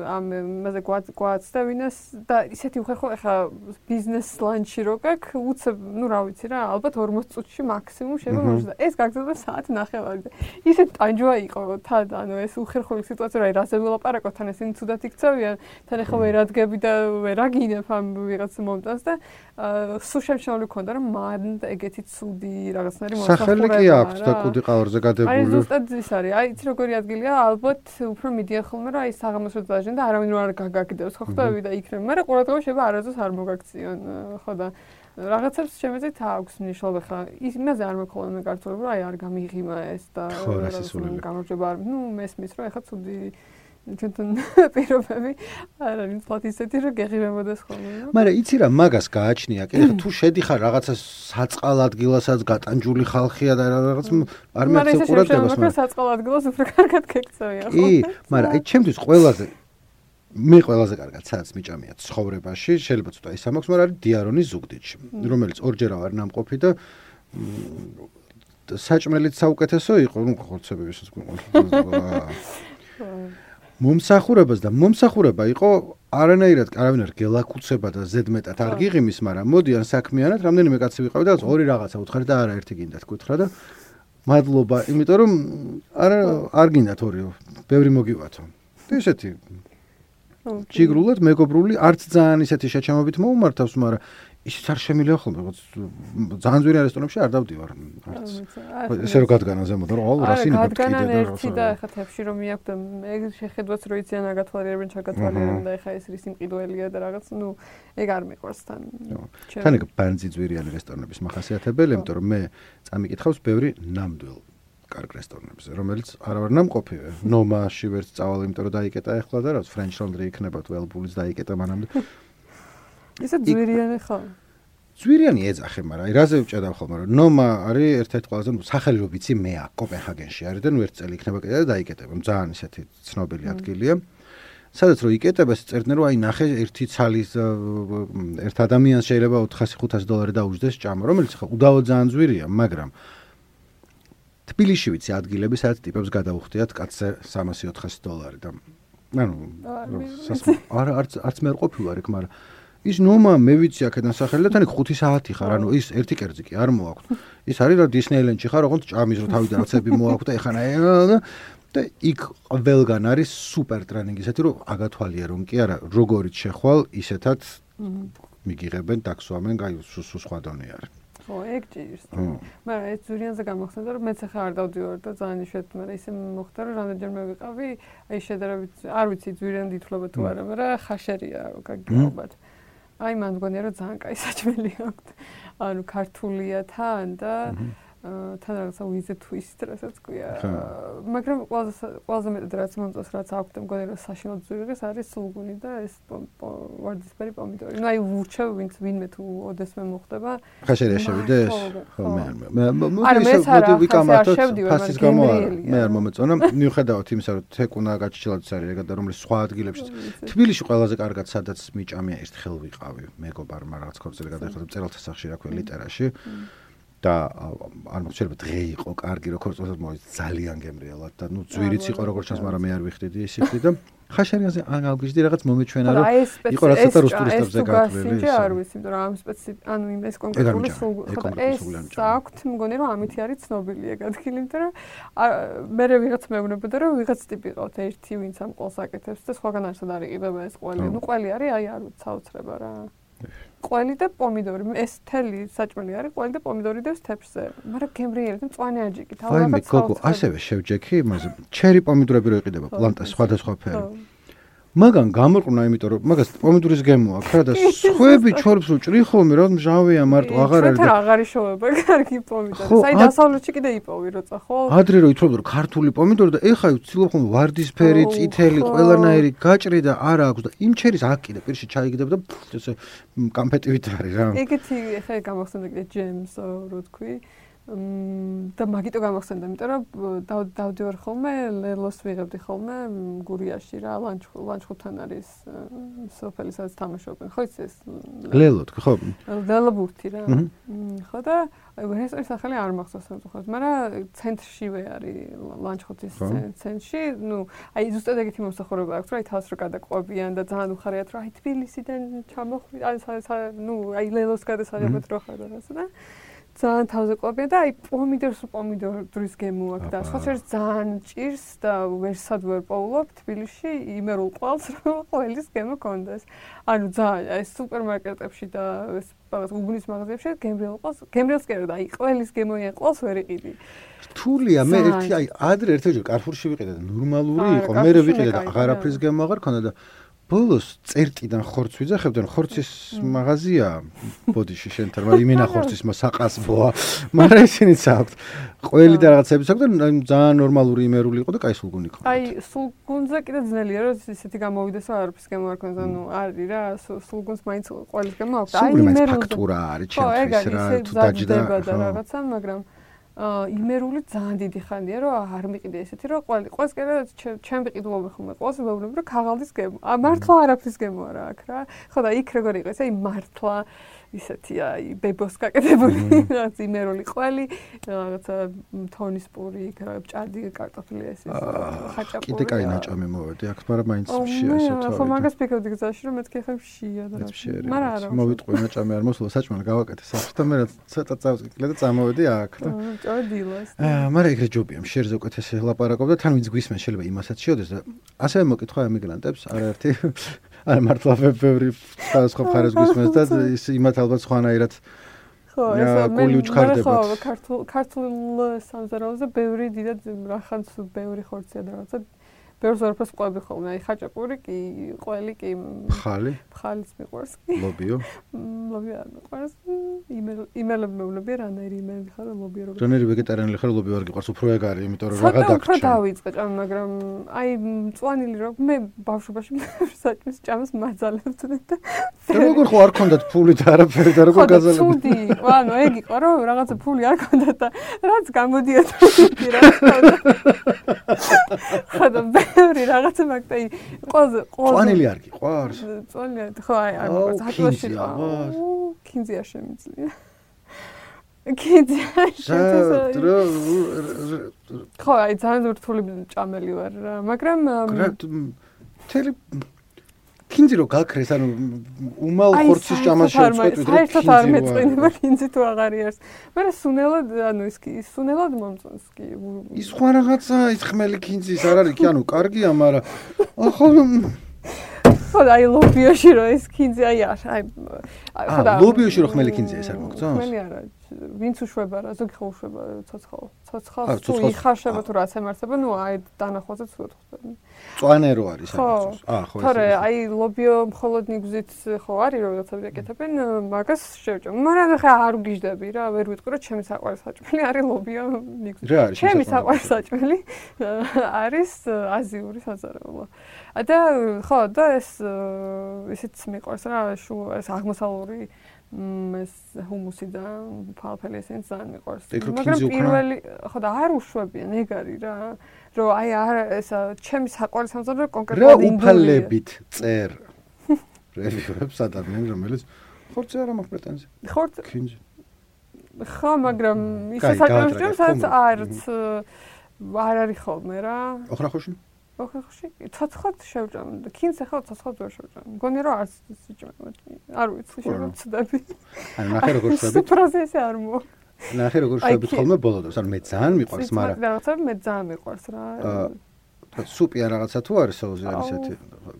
ამ მასე გვაც და ვინას და ისეთი უხერხო ახლა ბიზნეს ლანჩი რო გაქვს უცებ ნუ რა ვიცი რა ალბათ ორმოც წუთში მაქსიმუმ შეიძლება მოხდა ეს გაგრძელდა საათი ნახევარი და ისეთ ტანჯვა იყო თან ანუ ეს უხერხული სიტუაცია რა რაზე ვილაპარაკოთ თან ესენი თუდად იქცევიან თან ახლა ვერ ადგები და ვერ აგინებ ამ ვიღაც მომტანს და სულ შემჩნეული ქონდა რომ მან ეგეთი ცუდი რაღაცნაირი მოსახული სახელი კი აქვს და კუდი ყავარზე გადებული აი ზუსტად ის არის აი იცი როგორი ადგილია ალბათ უფრო მიდიან ხოლმე რა ის საღამოს დაჟენ და არავინ არ გაგაგდებს ხო ხტები და იქნება მაგრამ ყურადღება შეიძლება არასდროს არ მოგაქციონ ხო და რაღაცებს შემეძით აქვს მნიშვნელობა ხა იმაზე არ მეკოლონე კარტოები რომ აი არ გამიღიმა ეს და გამარჯობა არ ნუ მესმის რომ ეხა ცუდი ჩვენთან პირობები არ არის თვათ ისეთი რომ გეღირებოდეს ხოლმე მაგრამ იცი რა მაგას გააჩნია კი ხა თუ შედიხარ რაღაცა საწყალ ადგილასაც გატანჯული ხალხია და რაღაც არ მეცე ყურადღებას მაგრამ საწყალ ადგილას უფრო კარგად გეკცევია ხო კი მაგრამ აი ჩემთვის ყველაზე მე ყველაზე კარგად სადაც მიჭამია ცხოვრებაში შეიძლება ცოტა ის ამაქვს მაგრამ არის დიარონის ზუგდიდში რომელიც ორჯერ არ ნამყოფი და საჭმელიც საუკეთესო იყო ნუ ხორცებების მომსახურებას და მომსახურება იყო არანაირად არავინ არ გელაკუცება და ზედმეტად არ გიღიმის, მაგრამ მოდიან საქმიანად, რამდენიმე კაცი ვიყავი და ორი რაღაცა უთხარი და არა ერთი გინდათ გითხრა და მადლობა, იმიტომ რომ არა არ გინდათ ორიო, ბევრი მოგივათო. და ესეთი ჯიგრულად მეგობრული, არც ძალიან ისეთი შეჩამობით მოუმართავს, მაგრამ ისიც არ შემიძლია ხოლმე, რაღაც ძალიან ძვირი რესტორნებში არ დავდივარ. ესე რომ გადგანა ზემოთ, რომ აუ რა სინება თქვი და ერთი და ეხა თებში რომ მიაქვს და ეგ შეხედვაც რო იციან აგათვალიერებენ, ჩაგათვალიერებენ და ეხა ეს რის იმყიდველია და რაღაც, ნუ ეგ არ მიყვარს თან. თან ეგ ბანძი ძვირიანი რესტორნების მახასიათებელი, იმიტომ რომ მე წამიკითხავს ბევრი ნამდვილ კარგ რესტორნებზე, რომელიც არ ვარ ნამყოფი. ნომაში ვერც წავალ, იმიტომ რომ დაიკეტა ეხლა და რაც ფრენჩ ლონდრი იქნება თუ ელბულის დაიკეტა მანამდე. ისე ძვირიანი ხო? ძვირიანი ეძახე, მაგრამ აი რაზე ვჭედავ ხოლმე, რომ ნომა არის ერთ-ერთი ყველაზე სახელი რო ვიცი მე აქ კოპენჰაგენში არის და ნუ ერთ წელი იქნება კიდე და დაიკეტება. ძალიან ისეთი ცნობილი ადგილია. სადაც რო იკეტება, წერდნენ რომ აი ნახე ერთი ცალის ერთ ადამიანს შეიძლება ოთხასი ხუთასი დოლარი დაუჯდეს ჭამა, რომელიც ხო უდავო ძალიან ძვირია, მაგრამ თბილისში ვიცი ადგილები, სადაც ტიპებს გადაუხდიათ კაცზე სამასი ოთხასი დოლარი და ანუ არა არც არც მე არ ყოფილვარ იქ, მაგრამ ის ნომა მე ვიცი აქედან სახელი და თან ხუთი საათი ხარ, ანუ ის ერთი კერძი კი არ მოაქვს. ის არის რა დისნეილენდში ხარ, ოღონდ ჭამის რო თავიდან რაცები მოაქვს და ეხანა და იქ ყველგან არის სუპერ ტრენინგი, ისეთი რომ აგათვალიერონ კი არა, როგორიც შეხვალ, ისეთად მიგიღებენ, დაქსვამენ, გაი სულ სხვა დონე არის. ხო, ეგ ჭირს. მაგრამ ეს ზურიანზე გამოხსენდა რომ მეც ახლა არ დავდივარ და ძალიან იშვიათად, მაგრამ ისე მოხდა რომ რამდენჯერმე ვიყავი, აი შედარებით არ ვიცი ზურიანი ითვლება თუ არა, მაგრამ ხაშერია გაგიგებათ. აი მან მგონია რომ ძალიან კაი საჭმელი აქვს. ანუ ქართულია თან და თან რაღაცა ვიზე twist რასაც ქვია. მაგრამ ყველაზე ყველაზე მეტად რაც მომწონს, რაც აქვს და მგონია რომ საშინლად ზურიგეს არის სულგუნი და ეს ვარდისფერი პომიდორი. ნუ აი ვურჩევ ვინც ვინმე თუ ოდესმე მოხდება. ხაშერია შევიდეს? ხო მე არ მე მოდი ვიკამათოთ ფასის გამო მე არ მომეწონა. მიუხედავად იმისა რომ თეკუნა გაჩილადიც არის ეგ და რომლის სხვა ადგილებში თბილისში ყველაზე კარგად სადაც მიჭამია ერთხელ ვიყავი მეგობარმა რაღაც ქორწილი გადაიხადა მწერალთა სახლში რა ქვია ლიტერაში. და არ მოხდა შეიძლება დღე იყო კარგი როგორც წოდოთ მოიც ძალიან გემრიელად და ნუ ძვირიც იყო როგორც ჩანს მაგრამ მე არ ვიხდიდი ის იქდი და ხაშარიანზე ან ალგიჟდი რაღაც მომეჩვენა რომ იყო რაღაც ცოტა რუსტურისტებზე გაკვრები ეს არ ვიცი იმიტომ რომ ამ სპეციფ ანუ იმ ეს კონკრეტული ხო ეს აქვთ მგონი რომ ამითი არის ცნობილი ეგ ადგილი იმიტომ რომ მე ვიღაც მეუბნებოდა რომ ვიღაც ტიპი ყავთ ერთი ვინც ამ ყველს აკეთებს და სხვაგან არსად არ იყიდება ეს ყველი ნუ ყველი არის აი არ ვიცი საოცრება რა ყველი და პომიდორი ეს თელი საჭმელი არის ყველი და პომიდორი დევს თეფშზე მაგრამ გემრიელი და მწვანე აჯიკით ალბათ გოგო ასევე შევჯექი იმაზე ჩერი პომიდორები რო იყიდება პლანტა სხვადასხვა ფერი მაგან გამორყნა იმიტომ რომ მაგას პომიდორის გემო აქვს რა და სხვები ჩორბს უჭრი ხოლმე რა მჟავეა მარტო აღარ არის და აღარ იშოვება კარგი პომიდორი საი დასავლეთში კიდე იპოვი როცა ხო ადრე რო ითხოვდა რომ ქართული პომიდორი და ეხა ვცდილობ ხოლმე ვარდისფერი წითელი ყველანაირი გაჭრი და არა აქვს და იმ ჩერის აქ კიდე პირში ჩაიგდებ და ესე კამფეტივით არის რა ეგეთი ეხა გამახსენდა კიდე ჯემს რო თქვი და მაგიტო გამახსენდა, იმიტომ რომ დავდივარ ხოლმე ლელოს ვიღებდი ხოლმე გურიაში რა, ლანჩხუთთან არის სოფელი, სადაც თამაშობენ. ხო იცი ეს ლელო თქვი ხო? ლელო ბურთი რა. ხო და რესტორნის სახელი არ მახსოვს სამწუხაროდ, მაგრამ ცენტრშივე არის ლანჩხუთის ცენტრში, ну, აი ზუსტად ეგეთი მომსახურება აქვს, რომ აი თავს რო გადაყვებიან და ძალიან უხარიათ, რომ აი თბილისიდან ჩამოხვი, აი ну, აი ლელოს გადასაღებად რო ხარ რაღაცა და ძალიან თავზე ყვებიან და აი პომიდორს პომიდორის გემო აქვს და სხვა შორის ძალიან ჭირს და ვერსად ვერ პოულობ თბილისში იმერულ ყვალს რომ ყველის გემო კონდეს. ანუ ძალიან აი სუპერმარკეტებში და ეს რაღაც უბნის მაღაზიებში გემრიელ ყვალს, გემრიელს კი არა და აი ყველის გემოიან ყვალს ვერ იყიდი. რთულია მე ერთი აი ადრე ერთჯერ კარფურში ვიყიდე და ნორმალური იყო, მე ვიყიდე და აღარაფრის გემო აღარ ქონდა და ბოლოს წერტიდან ხორცს ვიძახებდნენ, ხორცის მაღაზია ბოდიში შენთან, მაგრამ იმენა ხორცის საყასბოა, მაგრამ ისინიც აქვთ. ყველი და რაღაცებიც აქვთ და ძალიან ნორმალური იმერული იყო და კაი სულგუნი იყო. აი, სულგუნზე კიდე ძნელია, რომ ისეთი გამოვიდეს, რომ არაფრის გემო არ ქონდეს, ანუ არის რა, სულგუნს მაინც ყველის გემო აქვს. აი, იმერული ფაქტურა არის ჩემთვის რა, თუ დაჯდა რაღაცა, მაგრამ აა იმერული ძალიან დიდი ხანია რომ არ მიყიდე ესეთი რომ ყველი ყველს კიდე ჩემ ვიყიდულობ ხოლმე ყველს ვეუბნები რომ ქაღალდის გემო. ა მართლა არაფრის გემო არა აქ რა. ხო და იქ როგორ იყო ეს აი მართლა ისეთი აი ბებოს გაკეთებული რაღაც იმერული ყველი რაღაცა თონის პური, ჭადი, კარტოფილი ეს ის ხაჭაპური. კიდე კაი ნაჭამი მოვედი აქ, მაგრამ მაინც შია ესე თავი. ხო მაგას ფიქრობდი გზაში რომ მეთქი ხა შია და მაგრამ არა. მოვიტყვი ნაჭამი არ მოსულა საჭმელი გავაკეთე საფრთხე და მე ცოტა წავსკილე და წამოვედი აქ და ჭოდილას. აა მაგრამ ეგრე ჯობია, შერზე უკეთესი ლაპარაკობ და თან ვინც გვისმენს შეიძლება იმასაც შეოდეს და ასევე მოკითხვა ემიგრანტებს არაერთი არა მართლა ბევრი სხვა მხარეს გვისმენს და ის იმათ ალბათ სხვანაირად ხო ეს მე ხო ქართულ ქართულ სამზარეულოზე ბევრი დიდად რახანს ბევრი ხორცია და რაღაცა ბევრს ვარფას ყვები ხოლმე აი ხაჭაპური კი ყველი კი ხალი ხალიც მიყვარს კი ლობიო ლობიო არ მიყვარს იმელები მეუბნები რანაირი იმელი ხარ ლობიო როგორ ჯონერი ვეგეტარიანელი ხარ ლობიო არ გიყვარს უფრო ეგ არის იმიტომ რომ რაღა დაგჭირ უფრო დავიწყე ჭამ მაგრამ აი მწვანილი რო მე ბავშვობაში საჭმის ჭამს მაძალებდნენ და როგორ ხო არ ქონდათ ფული და არაფერი და როგორ გაზალებდნენ ცუდი ანუ ეგ იყო რომ რაღაცა ფული არ ქონდათ და რაც გამოდიოდა იგი რა ხოდა ბევრი რაღაცა მაგდა აი ყველაზე ყველაზე წვანილი არ გიყვარს წვანილი ხო აი არ მოყვარს ატლაში კინზია შემიძლია კინზია შემიძლია ხო აი ძალიან რთული ჭამელი ვარ რა მაგრამ თელი კინზი რო გაქრეს ანუ უმალ ხორცის ჭამას შევწყვეტ ვიდრე საერთოდ არ მეწყინება კინზი თუ აღარ არის მაგრამ სუნელად ანუ ის კი სუნელად მომწონს კი ის სხვა რაღაცა ის ხმელი კინზის არ არის კი ანუ კარგია მაგრამ ახლა ხო აი ლობიოში რო ის კინზი აი აი ხო და ლობიოში რო ხმელი კინზი ეს არ მოგწონს ხმელი არა ვინც უშვება რა ზოგი ხო უშვება ცოცხალ ცოცხალს თუ იხარშება თუ რაც ემართება ნუ აი დანახვაზე თუ ხვდები წვანე რო არის ამას აა ხო ეს თორე აი ლობიო მხოლოდ ნიგზით ხო არის რაღაცა ვიკეთებენ მაგას შევჭამ მაგრამ ხა არ ვგიჟდები რა ვერ ვიტყვი რომ ჩემი საყვარელი საჭმელი არის ლობიო ნიგზით ჩემი საყვარელი საჭმელი არის აზიური საზარეულო და ხო და ეს ისიც მიყვარს რა ეს აღმოსავლური ეს ჰუმუსი და ფალფელი ესენს ძალიან მიყვარს მაგრამ პირველი ხო და არ უშვებიან ეგ არის რა რომ აი არ ეს ჩემი საყვარელი სამზარეულო კონკრეტულად ინდოელია უფალებით წერ რევიურებს ადამიანი რომელიც ხორცზე არ მაქვს პრეტენზია ხორცზე კინჯი ხო, მაგრამ ისე საჭმელში სადაც არც არ არის ხოლმე რა. ოხრახოში? ოხრახოში ცოცხლად შევჭამ და ქინს ახლა ცოცხლად ვერ შევჭამ. მგონი რომ არც სიჭმელი. არ ვიცი, შევწდები. ანუ ნახე როგორ შვებით. პროცესი არ მო. ნახე როგორ შვებით ხოლმე ბოლოდოს. ანუ მე ძალიან მიყვარს, მაგრამ რაღაცა მე ძალიან მიყვარს რა. სუპი ან რაღაცა თუ არის სოუსი არის ესეთი.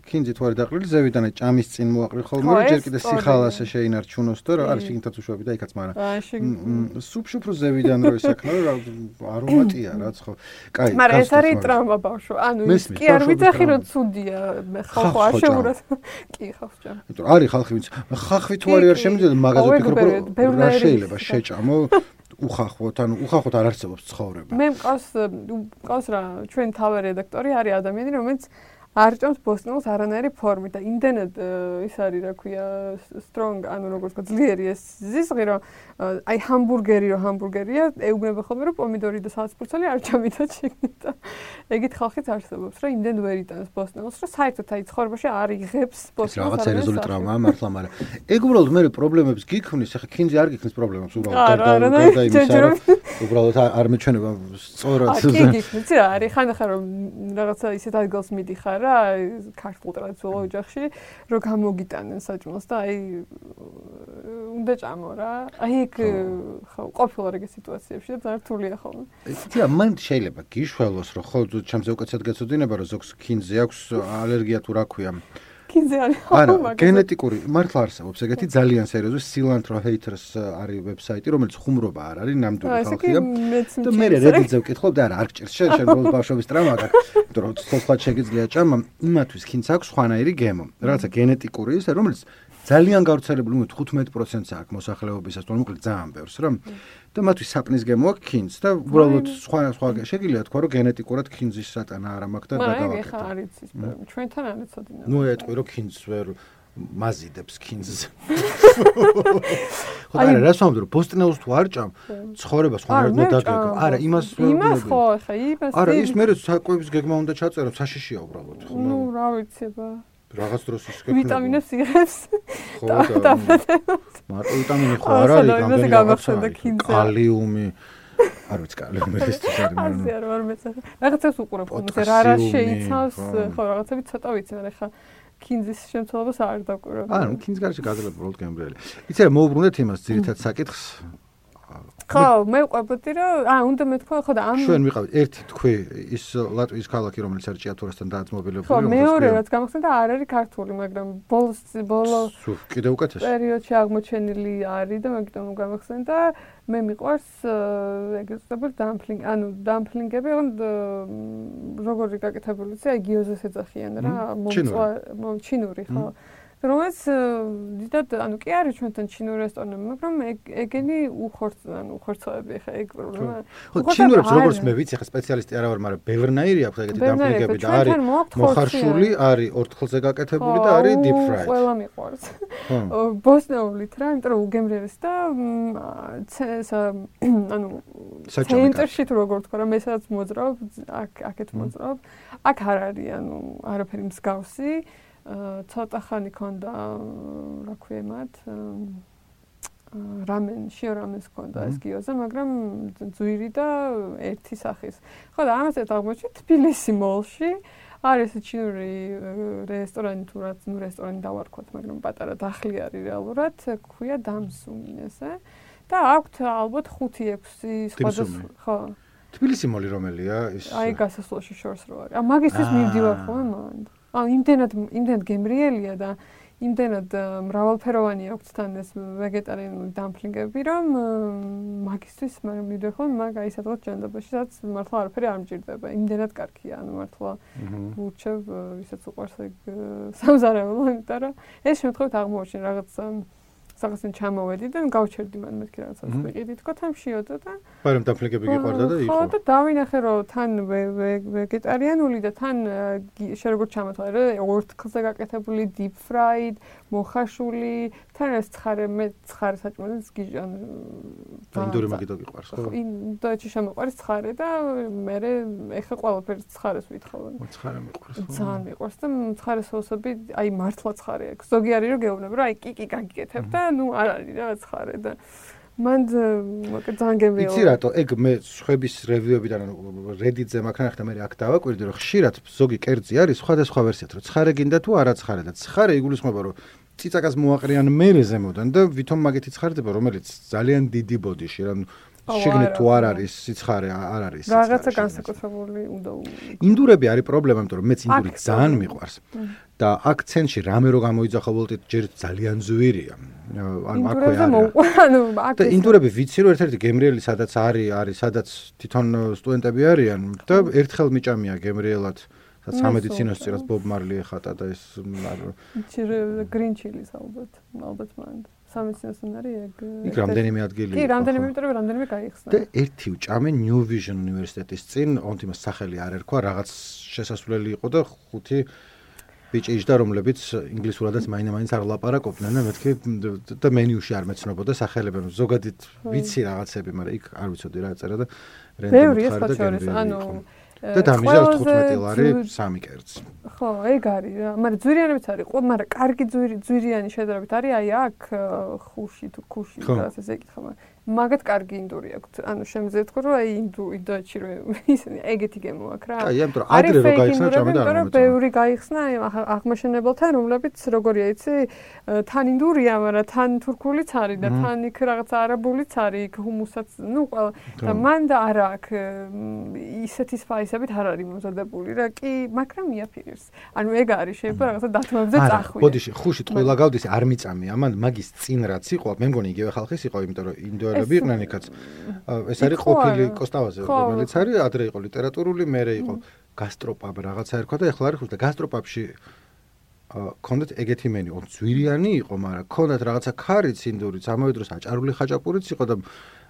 ქინძი თუ არის დაყრილი, ზევიდან ჭამის წინ მოაყრი ხოლმე, რომ ჯერ კიდე სიხალასე შეინარჩუნოს და რა არის შიგნითაც უშვები და იქაც მაგრამ. სუპში უფრო ზევიდან რო ისაქნო, რა არომატია რაც ხო. კაი. მაგრამ ეს არის ტრაუმა ბავშვო. ანუ ის კი არ ვიცახი რომ ცუდია. მე ხალხო არ შეურათ. კი ხალხს ჭამ. იმიტომ არის ხალხი ვინც ხახვი თუ არის არ შემიძლია მაგაზე ვფიქრობ რომ რა შეიძლება შეჭამო. უხახვოთ, ანუ უხახვოთ არ არსებობს ცხოვრება. მე მყავს მყავს რა, ჩვენ თავი რედაქტორი არის ადამიანი, რომელიც არ ჭამს ბოსტნეულს არანაირი ფორმით და იმდენად ის არის, რა ქვია, strong, ანუ როგორც ვთქვა, ძლიერი ეს ზიზღი, რომ აი ჰამბურგერი, რომ ჰამბურგერია, ეუბნება ხოლმე, რომ პომიდორი და სალცფურცელი არ ჭამითაც შეგნით და ეგეთ ხალხიც არსებობს, რომ იმდენ ვერ იტანს ბოსტნეულს, რომ საერთოდ აი ცხოვრებაში არ იღებს ბოსტნეულს. რაღაც სერიოზული ტრაუმაა მართლა, მაგრამ ეგ უბრალოდ მე პრობლემებს გიქმნის, ახლა ქინძი არ გიქმნის პრობლემებს უბრალოდ და იმისა რომ უბრალოდ არ მეჩვენება სწორად. კი გიქმნის რა, არის ხანდახან რომ რაღაცა ისეთ ადგილს მიდიხარ რა, ქართულ ტრადიციულ ოჯახში, რომ გამოგიტანენ საჭმელს და აი უნდა ჭამო რა. აი ხო, ყოფილა ეგ სიტუაციებში და ძალიან რთულია ხოლმე. იცი, მან შეიძლება გიშველოს, რომ ხო ჩემზე უკეთესად გეცოდინება, რომ ზოგს ქინძზე აქვს ალერგია თუ რა ქვია. ქინძზე არის. არა, გენეტიკური მართლა არსებობს ეგეთი ძალიან სერიოზული Cilantro Haters არის ვებსაიტი, რომელიც ხუმრობა არ არის ნამდვილი ხალხია. და მე Reddit-ზე ვკითხულობ და არა, არ გჭირს შენ შენ ბოლოს ბავშვობის ტრაუმა გაქვს, იმიტომ რომ ცოცხლად შეგიძლია ჭამა, იმათვის ქინძს აქვს ხვანაირი გემო. რაღაცა გენეტიკური ის, რომელიც ძალიან გავრცელებული, ნუ თხუთმეტ პროცენტს აქვს მოსახლეობისას, თუმცა მოკლედ ძალიან ბევრს რა. და მათთვის საპნის გემო აქვს ქინძს და უბრალოდ სხვა სხვა შეგიძლია თქვა რომ გენეტიკურად ქინძის სატანა არ მაქვს და გადავაკეთო. აი ხა არის ის ჩვენთან არ ეცოდინა. ნუ ეტყვი რომ ქინძს ვერ მაზიდებს ქინძს. ხო არა, რას ვამბობ რომ ბოსტნეულს თუ არ ჭამ, ცხოვრება სხვანაირად მოდაგეგმო. არა, იმას იმას ხო ხა იმას. არა, ის მე საკვების გეგმა უნდა ჩაწერო, საშიშია უბრალოდ ხო. ნუ რა ვიცება. რაღაც დროს ის გეკნება. ვიტამინებს იღებს. ხო და მარტო ვიტამინი ხო არ არის, გამდენი გამახსენდა ქინძზე. კალიუმი. არ ვიცი კალიუმი ეს ის არის მაგრამ. ასე არ ვარ მეცე. რაღაცას უყურებ ხოლმე, რა რა შეიცავს, ხო რაღაცები ცოტა ვიცი, მაგრამ ხა ქინძის შემცველობას არ დავკვირვებ. ანუ ქინძს გარშე გაძლევ უბრალოდ გემრიელი. იცი რა მოუბრუნდეთ იმას ძირითად საკითხს. ხო, მე ვყვებოდი რომ აა უნდა მეთქვა ხო და ამ ჩვენ ვიყავით ერთი თქვი ის ლატვიის ქალაქი რომელიც არის ჭიათურასთან დაძმობილებული ხო მეორე რაც გამახსენდა არ არის ქართული მაგრამ ბოლოს ბოლო კიდე უკეთეს პერიოდში აღმოჩენილი არის და მაგიტომ გამახსენდა მე მიყვარს ეგრეთ წოდებული დამპლინგ ანუ დამპლინგები როგორი გაკეთებულიც აი გიოზეს ეძახიან რა მომწვა ჩინური ხო რომელიც დიდად ანუ კი არის ჩვენთან ჩინური რესტორნები, მაგრამ ეგენი უხორც ანუ უხორცოები ხა ეგ პრობლემა. ხო, ჩინურებს როგორც მე ვიცი, ხა სპეციალისტი არა ვარ, მაგრამ ბევრნაირი აქვს ეგეთი დამპლინგები და არის მოხარშული, არის ორთხელზე გაკეთებული და არის deep fried. ყველა მიყვარს. ბოსნეულით რა, იმიტომ რომ უგემრიელს და ანუ ცენტრში თუ როგორ თქვა რა, მე სადაც მოძრავ, აქ აქეთ მოძრავ, აქ არ არის ანუ არაფერი მსგავსი. ცოტა ხანი ქონდა რა ქვია მათ რამენ შიო რამენს ქონდა ეს გიოზე მაგრამ ძვირი და ერთი სახის ხო და ამას ერთ აღმოჩნდა თბილისი მოლში არის ჩინური რესტორანი თუ რაც ნუ რესტორანი დავარქვათ მაგრამ პატარა დახლი არის რეალურად ქვია დამსუმი ესე და აქვთ ალბათ ხუთი ექვსი სხვადასხვა ხო თბილისი მოლი რომელია ის აი გასასვლელში შორს რო არის ა მაგისთვის მივდივარ ხო მან აა იმდენად იმდენად გემრიელია და იმდენად მრავალფეროვანი აქვს თან ეს ვეგეტარიანული დამპლინგები რომ მაგისთვის მაგრამ მივიდე ხოლმე მაგ აი სადღაც ჯანდაბაში სადაც მართლა არაფერი არ მჭირდება იმდენად კარგია ანუ მართლა ვურჩევ ვისაც უყვარს ეგ სამზარეულო იმიტომ რომ ეს შემთხვევით აღმოჩენ რაღაც საღასენ ჩამოვედი და გავჩერდი მან მეთქი რაღაცას ვიყიდი თქო თან შიოდა და მაგრამ დამპლინგები გიყვარდა და იყო ხო და დავინახე რომ თან ვეგეტარიანული და თან შე როგორ ჩამოთვალე ორთქლზე გაკეთებული deep fried მოხარშული თან ეს ცხარე მე ცხარე საჭმელს გიჟან ინდური მაგიტო გიყვარს ხო ინდოეთში შემოყვარს ცხარე და მე ეხა ყველაფერს ცხარეს ვითხოვენ ცხარე მიყვარს ხო ძალიან მიყვარს და ცხარე სოუსები აი მართლა ცხარე აქვს ზოგი არის რომ გეუბნები რომ აი კიკი გაგიკეთებ და ნუ არ არის რა ცხარე და მან ძალიან გემრიელი. იცი რატო? ეგ მე სხვების რევიუებიდან Reddit-ზე მაგნახდა მე აქ დავაკვირდი რომ ხშირად ზოგი კერძი არის სხვადასხვა ვერსიად რომ ცხარე გინდა თუ არა ცხარე და ცხარე იგულისხმება რომ ციცაკას მოაყრიან მერე ზემოდან და ვითომ მაგეთი ცხარდება რომელიც ძალიან დიდი ბოდიში რა შიგნით თუ არ არის სიცხარე არ არის რაღაცა განსაკუთრებული უნდა ინდურები არის პრობლემა იმიტომ რომ მეც ინდური ძალიან მიყვარს და აქცენტში რამე რო გამოიძახა ვოლტით ჯერ ძალიან ზვირია ანუ აქვე არის და ინდურები ვიცი რომ ერთ-ერთი გემრიელი სადაც არის არის სადაც თვითონ სტუდენტები არიან და ერთხელ მიჭამია გემრიელად სამედიცინოს წინას ბობ მარლი ეხატა და ეს გრინ ჩილის ალბათ ალბათ მან სამედიცინოსთან არის ეგ იქ რამდენიმე ადგილი კი რამდენიმე იმიტომ რომ რამდენიმე გაიხსნა და ერთი უჭამე New Vision უნივერსიტეტის წინ ონტიმას სახელი არ ერქვა რაღაც შესასვლელი იყო და ხუთი ბიჭი იჯდა რომლებიც ინგლისურადაც მაინდა-მაინც არ ლაპარაკობდნენ და მეთქი და მენიუში არ მეცნობოდა სახელები ზოგადად ვიცი რაღაცები მაგრამ იქ არ ვიცოდი რა ეწერა და რენდომად ხარ და გემრიელი ანუ და დამიზარს თხუთმეტი ლარი სამი კერძი. ხო, ეგ არის რა. მაგრამ ძვირიანებიც არის, ყო, მაგრამ კარგი ძვირი ძვირიანი შედარებით არის აი აქ ხუში თუ ქუში რაღაც ესე ეკითხა, მაგრამ მაგათ კარგი ინდური აქვს. ანუ შემიძლია თქვა რომ აი ინდუ ინდოეთში რომ ისინი ეგეთი გემო აქვს რა. აი, ამიტომ ადრე რო გაიხსნა ჭამე და არ მომეწონა. ბევრი გაიხსნა აღმაშენებელთან, რომლებიც როგორია იცი, თან ინდურია, მაგრამ თან თურქულიც არის და თან იქ რაღაც არაბულიც არის, იქ ჰუმუსაც, ну, ყველა და მან და არა აქ ისეთი სპაისებით არ არის მომზადებული რა, კი, მაგრამ მიაფიქრეს. ანუ ეგ არის, შეიძლება რაღაცა დათმობებზე წახვიდე. ბოდიში, ხუში ტყუილა გავდის, არ მიწამია, მან მაგის წინ რაც იყო, მე მგონი იგივე ხალხის იყო, იმიტომ რომ ინდოელები იყვნენ იქაც. ეს არის ყოფილი კოსტავაზე, რომელიც არის ადრე იყო ლიტერატურული, მერე იყო გასტროპაბ რაღაცა ერქვა და ეხლა არის ხუში და გასტროპაბში კონდეთ ეგეთი მენი, ო ძვირიანი იყო, მაგრამ კონდეთ რაღაცა ქარიც ინდურიც, ამავე დროს აჭარული ხაჭაპურიც იყო და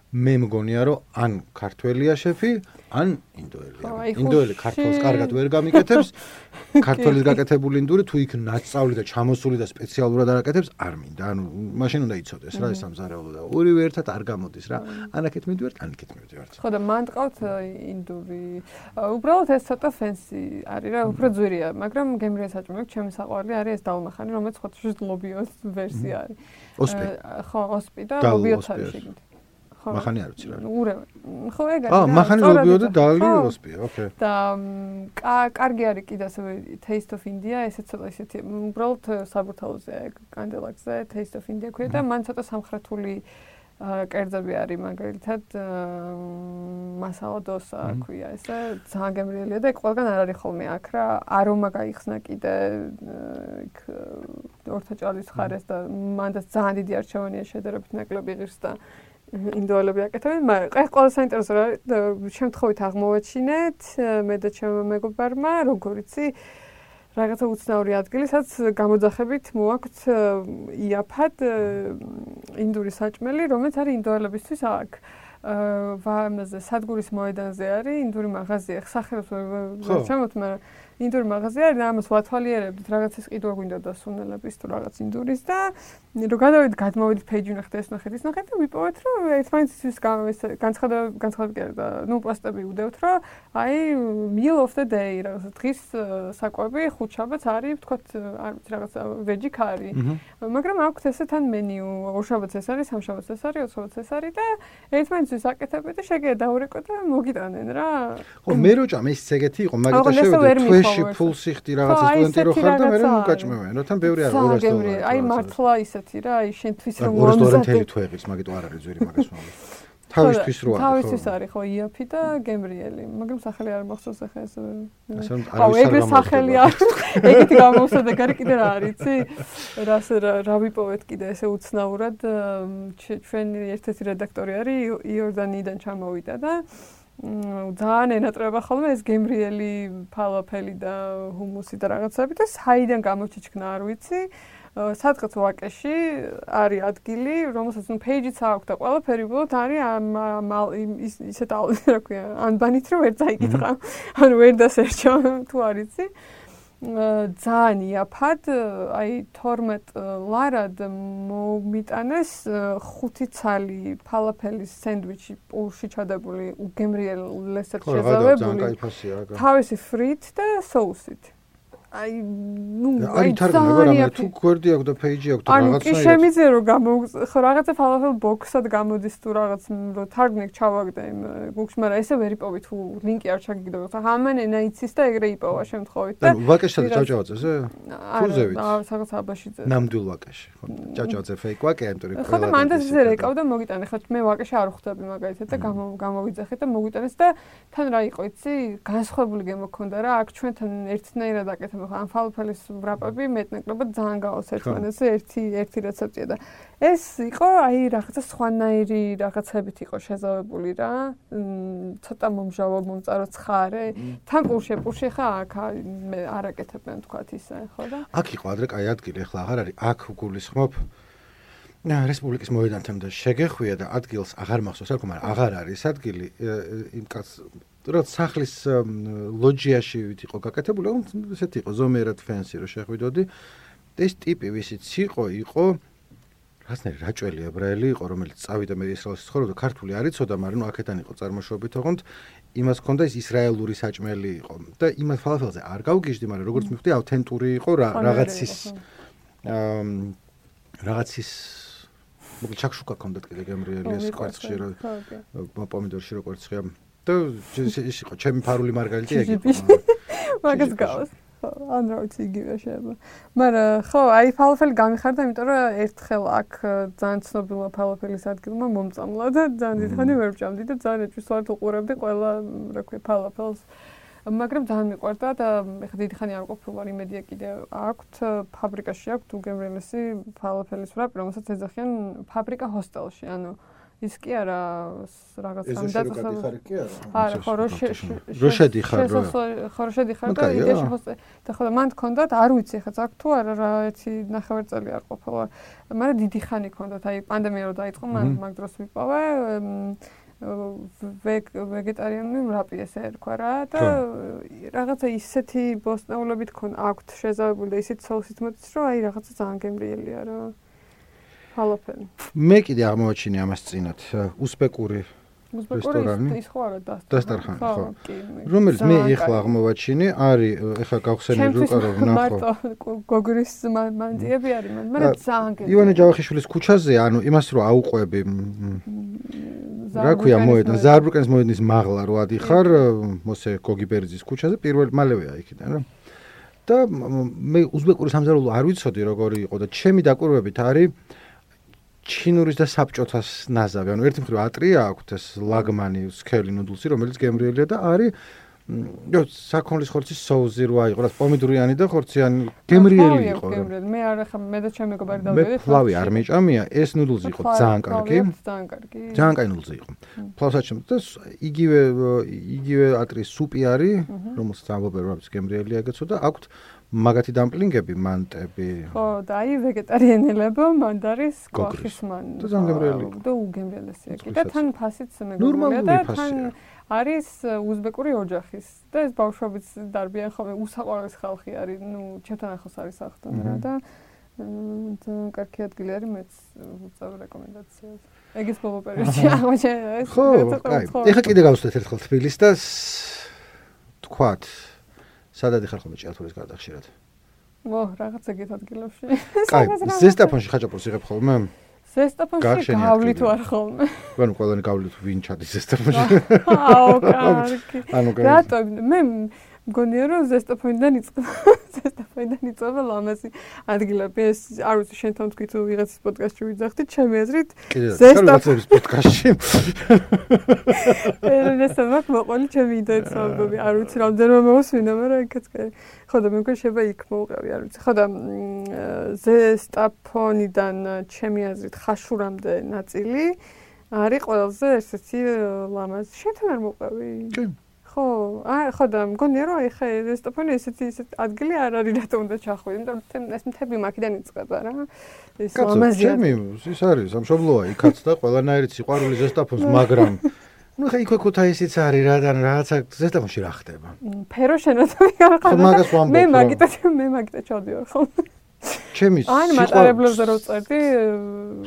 მე მგონია რომ ან ქართველია შეფი, ან ინდოელია. ინდოელი ქართულს კარგად ვერ გამიკეთებს, ქართულის გაკეთებული ინდური თუ იქ ნაცავლი და ჩამოსული და სპეციალურად არაკეთებს, არ მინდა. ანუ მაშინ უნდა იცოდეს რა ეს სამზარეულო და ორივე ერთად არ გამოდის რა. ანაკეთ მივდივართ, ანაკეთ მივდივართ. ხო და მან ტყავთ ინდური. უბრალოდ ეს ცოტა ფენსი არის რა, უფრო ძვირია, მაგრამ გემრიელი საჭმელი ჩემი საყვარელი არის ეს დალმახანი, რომელიც ხოთშუს ლობიოს ვერსია არის. ოსპი. ხო, ოსპი და ლობიოც არის შეგით. მახანი არ ვიცი რა. ურევ. ხო, ეგ არის. აა, მახანი ლობიო და დალი ოსპია, ოკეი. და კარგი არის კიდე ასევე Taste of India, ესეც ცოტა ისეთი, უბრალოდ საბურთალოზე კანდელაკზე Taste of India ქვია და მან ცოტა სამხრეთული კერძები არის, მაგალითად მასალა დოსა ქვია, ესე ძალიან გემრიელია და ყველგან არ არის ხოლმე აქ რა, არომა გაიხსნა კიდე იქ ორთაჭალის ხარეს და მანდაც ძალიან დიდი არჩევანია შედარებით ნაკლები ღირს და ინდოელები აკეთებენ, მაგრამ ეს ყველა საინტერესო რა შემთხვევით აღმოვაჩინეთ მე და ჩემმა მეგობარმა, როგორიცი რაღაცა უცნაური ადგილი, სადაც გამოძახებით მოაქვთ იაფად ინდური საჭმელი, რომელიც არის ინდოელებისთვის აქ. ვამაზე სადგურის მოედანზე არის ინდური მაღაზია, სახელოს ვერ ჩამოთ, მაგრამ ინდური მაღაზია არის და ამას ვათვალიერებდით, რაღაცის ყიდვა გვინდა და სუნელების თუ რაღაც ინდურის და რო გადავიდით, გადმოვიდით page-ი ნახეთ, ეს ნახეთ, ის ნახეთ და ვიპოვეთ, რომ ერთმანეთის განცხადება განცხადება და ნუ პოსტები უდევთ, რომ აი meal of the day, რაღაცა დღის საკვები ხუთშაბათს არის, ვთქვათ, არ ვიცი, რაღაცა ვეჯი ქარი. მაგრამ აქვთ ესე თან მენიუ, ორშაბათს ეს არის, სამშაბათს ეს არის, ოთხშაბათს ეს არის და ერთმანეთის აკეთებენ და შეგიძლია დაურეკო და მოგიტანენ რა. ხო, მე რო ჭამ ეს ეგეთი იყო, მაგიტო შევიდე ში ფულსი ხდი რაღაცა სტუდენტი რო ხარ და მე რომ მოკაჭმევენ, რო თან ბევრი არა ორას დოლარი. აი მართლა ისეთი რა, აი შენთვის რომ ორას დოლარი თელი თუ ეღის, მაგიტო არ არის ძვირი მაგას მომი. თავისთვის რო არის. თავისთვის არის ხო იაფი და გემრიელი, მაგრამ სახელი არ მახსოვს ახლა ეს. აუ ეგრე სახელი არის. ეგეთი გამოსადა გარი კიდე რა არის, იცი? რას რა ვიპოვეთ კიდე ესე უცნაურად ჩვენი ერთ-ერთი რედაქტორი არის იორდანიიდან ჩამოვიდა და ძალიან ენატრება ხოლმე ეს გემრიელი ფალაფელი და ჰუმუსი და რაღაცები და საიდან გამოჩიჩქნა არ ვიცი. სადღაც ვაკეში არის ადგილი, რომელსაც ნუ page-იც აქვს და ყველაფერი უბრალოდ არის ისეთ რა ქვია, ანბანით რომ ვერ წაიკითხა. ანუ ვერ დასერჩო თუ არ იცი. ძალიან იაფად, აი თორმეტ ლარად მომიტანეს ხუთი ცალი ფალაფელის სენდვიჩი პულში ჩადებული, უგემრიელესად შეზავებული. თავისი ფრით და соусით. აი ნუ აი თარგმნება რამე თუ გვერდი აქვს და პეიჯი აქვს და რაღაცა ანუ კი შემიძლია რომ გამო ხო რაღაცა ფალაფელ ბოქსად გამოდის თუ რაღაც რომ თარგმნი ჩავაგდე იმ გუგლში, მაგრამ ესე ვერ იპოვი თუ ლინკი არ ჩაგიგდო. ხა ამან ენა იცის და ეგრე იპოვა შემთხვევით და ვაკეშთან ჭავჭავაძეზე? თუზევით. აა რაღაც აბაშიძე. ნამდვილ ვაკეში. ხო ჭავჭავაძე ფეიქ ვაკეა, იმიტომ რომ ხო და მანდ ესე რეკავდა მოგიტანე, ხო მე ვაკეში არ ხვდები მაგალითად და გამოვიძახეთ და მოგიტანეს და თან რა იყო იცი? განსხვავებული გემოქონდა რა, აქ ჩვენთან ერთნაირად აკეთებ ამ ფალაფელის ვრაპები მეტნაკლებად ძალიან გავალს ერთმანეთზე ერთი ერთი რეცეპტია და ეს იყო აი რაღაცა სხვანაირი რაღაცებით იყო შეზავებული რა ცოტა მომჟავო მომწარო ცხარე თან პურში პურში ხა აქ მე არ აკეთებენ თქვათ ისე ხო და აქ იყო ადრე კაი ადგილი ახლა აღარ არის აქ გულისხმობ და რესპუბლიკის მოედანთან და შეგეხვია და ადგილს აღარ მახსოვს რა თქმა უნდა აღარ არის ადგილი იმ კაც რაც სახლის ლოჯიაში ვით იყო გაკეთებული, ესეთი იყო ზომიერად ფენსი რომ შეხვიდოდი. ეს ტიპი ვისიც იყო, იყო რაღაცნაირი რაჭველი ებრაელი იყო, რომელიც წავიდა მე ისრაელში ცხოვრობდა, ქართული არ იცოდა, მაგრამ ნუ აქედან იყო წარმოშობით, ოღონდ იმას ჰქონდა ის ისრაელური საჭმელი იყო და იმას ფალაფელზე არ გავგიჟდი, მაგრამ როგორც მივხვდი, ავთენტური იყო რაღაცის რაღაცის მოკლედ ჩაქშუკა ჰქონდათ კიდე გემრიელი ეს კვერცხში რო პომიდორში რო კვერცხია და ის იყო ჩემი ფარული მარგალიტი ეგ იყო მაგას გავს ან რა ვიცი იგივე შეიძლება მაგრამ ხო აი ფალაფელი გამიხარდა იმიტომ რომ ერთხელ აქ ძალიან ცნობილმა ფალაფელის ადგილმა მომწამლა და ძალიან დიდხანი ვერ ვჭამდი და ძალიან ეჭვისვალად უყურებდი ყველა რა ქვია ფალაფელს მაგრამ ძალიან მიყვარდა და ეხლა დიდი ხანი არ ყოფილი ვარ იმედია კიდე აქვთ ფაბრიკაში აქვთ უგემრიელესი ფალაფელის ვრაპი რომელსაც ეძახიან ფაბრიკა ჰოსტელში ანუ ის კი არა რაღაც ამდაცვალ არა ხო როშედი ხარ ხო როშედი ხარ და იდეაში ხო და ხო მან თქონდათ არ ვიცი ხა აქ თუ არა რა ერთი ნახევარწელი არ ყოფილა მაგრამ დიდი ხანი ქონდათ აი პანდემია რო დაიწყო მან მაგ დროს ვიპოვე ვეგეტარიანული ვრაპი ესე ერქვა რა და რაღაცა ისეთი ბოსტნეულებით ქონ აქვთ შეზავებული და ისეთ სოუსით მოდის რომ აი რაღაცა ძალიან გემრიელია რა ფალაფელი. მე კიდე აღმოაჩინე ამას წინათ უსბეკური რესტორანი. ის ხო არა დასტარხანი ხო. რომელიც მე ეხლა აღმოვაჩინე, არის ეხლა გავხსენე რუკა რომ ნახო. მარტო გოგრის მანძიები არის, მაგრამ ძალიან გემრიელი. ივანე ჯავახიშვილის ქუჩაზე, ანუ იმას რომ აუყვები რა ქვია მოედან, ზაარბრუკენის მოედნის მაღლა რო ადიხარ, მოსე გოგიბერძის ქუჩაზე პირველ მალევეა იქიდან რა. და მე უზბეკური სამზარეულო არ ვიცოდი როგორი იყო და ჩემი დაკვირვებით არის ჩინურის და საბჭოთას ნაზავი. ანუ ერთი მხრივ ატრია აქვთ ეს ლაგმანი სქელი ნუდლსი, რომელიც გემრიელია და არის იო საქონლის ხორცის соуზი რო აიყო, რა პომიდორიანი და ხორციანი გემრიელი იყო. მე არ ახლა მე და ჩემი მეგობარი დავდივით. მე ფლავი არ მეჭამია, ეს ნუდლსი იყო ძალიან კარგი. ძალიან კარგი. ძალიან კარგი ნუდლსი იყო. ფლავსაჩემ და იგივე იგივე ატრიის სუპი არის, რომელსაც ამბობენ რომ ის გემრიელია ეგეცო და აქვთ მაგათი დამპლინგები, მანტები. ხო, და აი ვეგეტარიანელებო, მანდარის კვახის მან. და ძალიან გემრიელი. და უგემრიელესია კი და თან ფასიც მეგობრია და თან არის უზბეკური ოჯახის და ეს ბავშვებიც დარბიან ხოლმე უსაყვარლესი ხალხი არის, ნუ ჩემთან ახლოს არის სახლთან რა და ძალიან კარგი ადგილი არის მეც ვუწევ რეკომენდაციას. ეგის ბოლო პერიოდში აღმოჩენე ეს. ხო, კაი. ეხლა კიდე გავსვეთ ერთხელ თბილისს და თქვათ სადადი ხარ ხოლმე ჭიათურის გარდა ხშირად? ო, რაღაც ეგეთ ადგილებში. კაი, ზესტაფონში ხაჭაპურს იღებ ხოლმე? ზესტაფონში გავლით ვარ ხოლმე. ანუ ყველანი გავლით ვინ ჩადის ზესტაფონში? აუ, კარგი. ანუ რატო მე მგონია რომ ზესტაფონიდან იწყება. ზესტაფონიდან იწყება ლამაზი ადგილები. ეს არ ვიცი შენ თან თქვი თუ ვიღაცის პოდკასტში ვიძახდი, ჩემი აზრით ზესტაფონის პოდკასტში. ერნესტო მაგ მოყოლი ჩემი იდეაც ამბობი, არ ვიცი რამდენმა მოვსვინა, მაგრამ იქაც კაი. ხო და მე მგონი შეიძლება იქ მოვყევი, არ ვიცი. ხო და ზესტაფონიდან ჩემი აზრით ხაშურამდე ნაწილი არის ყველაზე ესეთი ლამაზი. შენთან არ მოვყევი? კი. ხო, აი ხო და მგონია რომ აი ხა ზესტაფონი ესეთი ესეთი ადგილი არ არის რატომ უნდა ჩახვიდე, იმიტომ რომ ეს მთები მაქიდან იწყება რა. ეს ლამაზია. ჩემი ის არის, სამშობლოა იქაც და ყველანაირი სიყვარული ზესტაფონს, მაგრამ ну ხა იქ ქუთაისიც არის რა და რაღაცა ზესტაფონში რა ხდება? ფერო შენოთები არ ხარ. მაგას ვამბობ. მე მაგიტა მე მაგიტა ჩავდივარ ხოლმე. ჩემი აი მატარებლებზე რო წერდი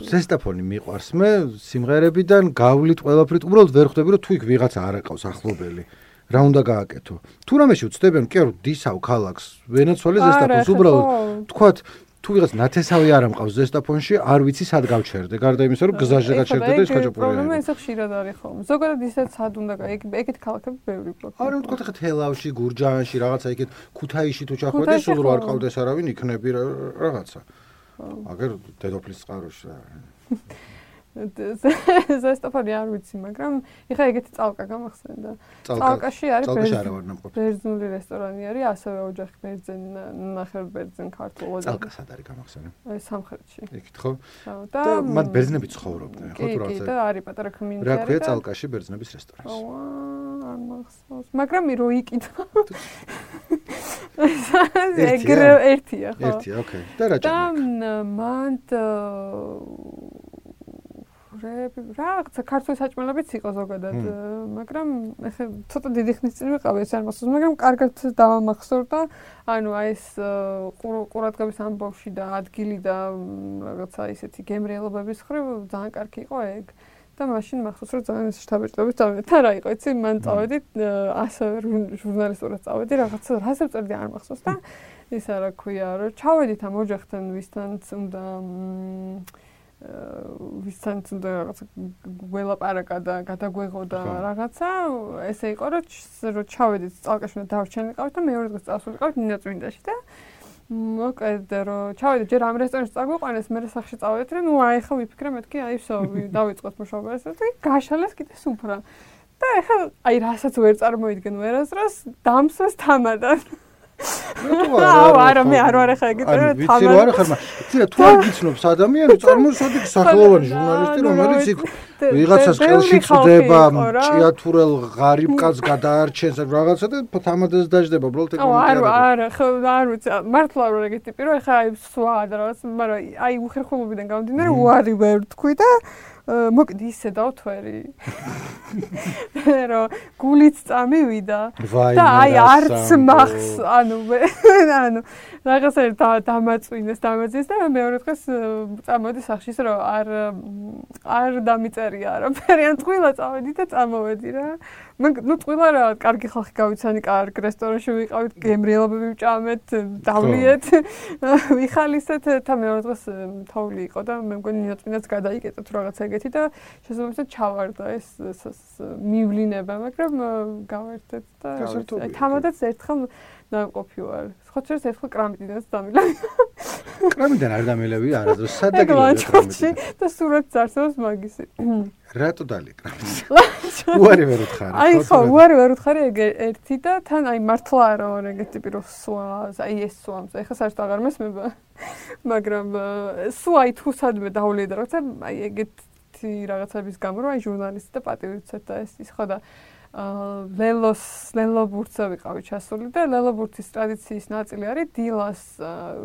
ზესტაფონი მიყვარს მე სიმღერებიდან გავლით ყველაფრით უბრალოდ ვერ ხვდები რომ თუ იქ ვიღაცა არ აკავს ახლობელი რა უნდა გააკეთო. თუ რამეში უცდებიან, კი არა, დისავ ქალაქს, ვენეცუელის ზესტაფონს, უბრალოდ თქვათ თუ ვიღაც ნათესავი არ ამყავს ზესტაფონში, არ ვიცი სად გავჩერდე. გარდა იმისა, რომ გზაზე გაჩერდე და ის ხაჭაპური. პრობლემა ესე ხშირად არის ხოლმე. ზოგადად ისეთ სად უნდა ეგეთ ქალაქები ბევრი პრობლემა. არა, თქვათ ახლა თელავში, გურჯაანში, რაღაცა იქეთ ქუთაისში თუ ჩახვედე, სულ რო არ ყავდეს არავინ, იქნები რაღაცა. აგერ დედოფლის წყაროში რა. ზესტაფონი არ ვიცი, მაგრამ ეხა ეგეთი წალკა გამახსენდა. წალკაში არის ბერძნული რესტორანი არის, ასევე ოჯახი ბერძენ, ნახევარ ბერძენ ქართულო. წალკა სად არის გამახსენე? აი სამხრეთში. იქით ხო? და მათ ბერძნები ცხოვრობდნენ, ხო თუ რაღაცა. კი, და არის პატარა კომიუნიტი. რა ქვია წალკაში ბერძნების რესტორანს? ავა, არ მახსოვს. მაგრამ რო ikitva. ეგრე ერთია, ხო? ერთია, ოკეი. და რა ჭამე? და მანდ რაღაცა ქართული საჭმელებიც იყო ზოგადად, მაგრამ ეხლა ცოტა დიდი ხნის წინ ვიყავი ეს არ მახსოვს, მაგრამ კარგად დავამახსოვრდა, ანუ აი ეს ყურადღების ამბავში და ადგილი და რაღაცა ისეთი გემრიელობების ხრივ ძალიან კარგი იყო ეგ. და მაშინ მახსოვს რომ ძალიან შთაბეჭდებით წავედი. თან რა იყო, იცი, მან წავედი, ასევე ჟურნალისტურად წავედი, რაღაცა რაზე ვწერდი არ მახსოვს და ისა რა ქვია, რომ ჩავედით ამ ოჯახთან, ვისთანაც უნდა ვისთანაც უნდა რაღაცა გველაპარაკა და გადაგვეღოდა რაღაცა, ესე იყო, რომ ჩავედით წალკაში და დავრჩენილიყავით და მეორე დღეს წავსულიყავით ნინაწმინდაში და მოკლედ რომ ჩავედით ჯერ ამ რესტორანში წაგვიყვანეს, მე სახში წავედით, რომ ნუ აი ხა ვიფიქრე მეთქი, აი всё, დავიწყოთ მუშაობა ესე და გაშალეს კიდე სუფრა. და ეხლა აი რასაც ვერ წარმოიდგენ ვერასდროს დამსვეს თამადად. აუ არა მე არ ვარ ახლა ეგეთ თამად. ვიცი რა არა ხარ, მაგრამ თუ არ გიცნობს ადამიანი, წარმოსადი სახელოვანი ჟურნალისტი, რომელიც იქ ვიღაცას ყელში წდება, ჭიათურელ ღარიბ კაცს გადაარჩენს რაღაცა და თამადას დაждდება, უბრალოდ ეგ მომენტი არა. არა, არა, ხო არ ვიცი, მართლა არ ვარ ეგეთი ტიპი, რომ ახლა აი სვა და რაღაც, მაგრამ აი უხერხულობიდან გამომდინარე უარი ვერ თქვი და მოკლედ ისე დავთვერი. რომ გულით წამივიდა და აი არც მახს, ანუ ანუ რაღაცა დამაწვინეს, დამაძინეს და მეორე დღეს წამოდი სახში, რომ არ არ დამიწერია არაფერი, ან ტყუილა წავედი და წამოვედი რა. ნუ ტყუილა რა, კარგი ხალხი გავიცანი, კარგ რესტორანში ვიყავით, გემრიელობები ვჭამეთ, დავლიეთ, ვიხალისეთ და მეორე დღეს თოვლი იყო და მე მგონი ნინაწმინდაც გადაიკეტა თუ რაღაცა ეგეთი და შესაძლოა ჩავარდა ეს მივლინება, მაგრამ გავერთეთ და აი თამადაც ერთხელ ნამყოფი ვარ. ხოთერს ერთხელ კრამიტიდანაც დამილავი. კრამიტიდან არ დამილავი არასდროს, სად დაგილავი კრამიტიდან? და სურათს არსებობს მაგისი. რატო დალი კრამიტი? უარი ვერ უთხარი. აი ხო, უარი ვერ უთხარი ეგ ერთი და თან აი მართლა არა ვარ ეგეთი ტიპი რომ სვა, აი ეს სვამს. ეხლა საერთოდ აღარ მესმება. მაგრამ სვა აი თუ სადმე დავლია და რაღაცა აი ეგეთი რაღაცების გამო რომ აი ჟურნალისტი და პატივიცეთ და ეს ის ხო და ლელოს ლელობურთზე ვიყავი ჩასული და ლელობურთის ტრადიციის ნაწილი არის დილას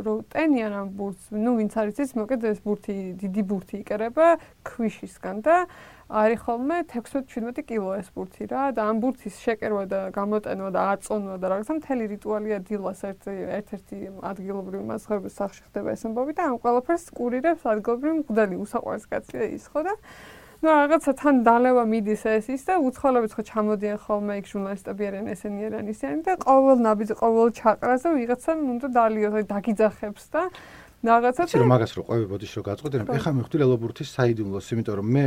რომ ტენიან ამ ბურთს, ნუ ვინც არის ის, მოკლედ ეს ბურთი, დიდი ბურთი იკერება ქვიშისგან და არის ხოლმე ექვსმეტ შვიდმეტი კილო ეს ბურთი რა და ამ ბურთის შეკერვა და გამოტენვა და აწონვა და რაღაცა მთელი რიტუალია დილას ერთ-ერთი ადგილობრივი მასწავლებელი სახლში ხდება ეს ამბავი და ამ ყველაფერს კურირებს ადგილობრივი მღვდელი უსაყვარს კაცია ის ხო და ну რაღაცა თან დალევა მიდის ეს ის და უცხოელები ხო ჩამოდიან ხოლმე იქ ჟურნალისტები არიან ესენი არიან ისინი და ყოველ ნაბიჯს ყოველ ჩაყრაზე ვიღაცამ უნდა დალიოს აი დაგიძახებს და რაღაცა და რომ მაგას რო ყვები ბოდიშ რო გაწყვეტენ ეხა მივხვდი ლელობურთის საიდუმლოს იმიტომ რომ მე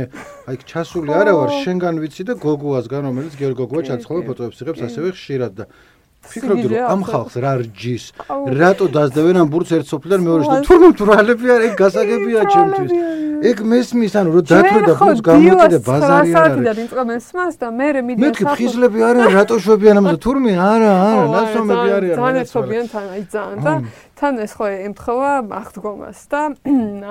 აი ჩასული არა ვარ შენგან ვიცი და გოგოასგან რომელიც გერგოგოა ჩაცხოლა ფოტოებს იღებს ასევე ხშირად და ფიქრობდი რომ ამ ხალხს რა რჯის რატო დაძდევენ ამ ბურთს ერთ სოფლიდან მეორეში და თურმე თურალები არ ეგ გასაგებია ჩემთვის ეგ მესმის ანუ რომ დათვე და ბურთს გამოტირე ბაზარი არ არის და ვინც მესმას და მე მე მეთქი ფხიზლები არიან რატო შვებიან ამაზე თურმე არა არა ნასომები არიან ძალიან შვებიან თან აი ძალიან და თან ეს ხო ემთხოვა აღდგომას და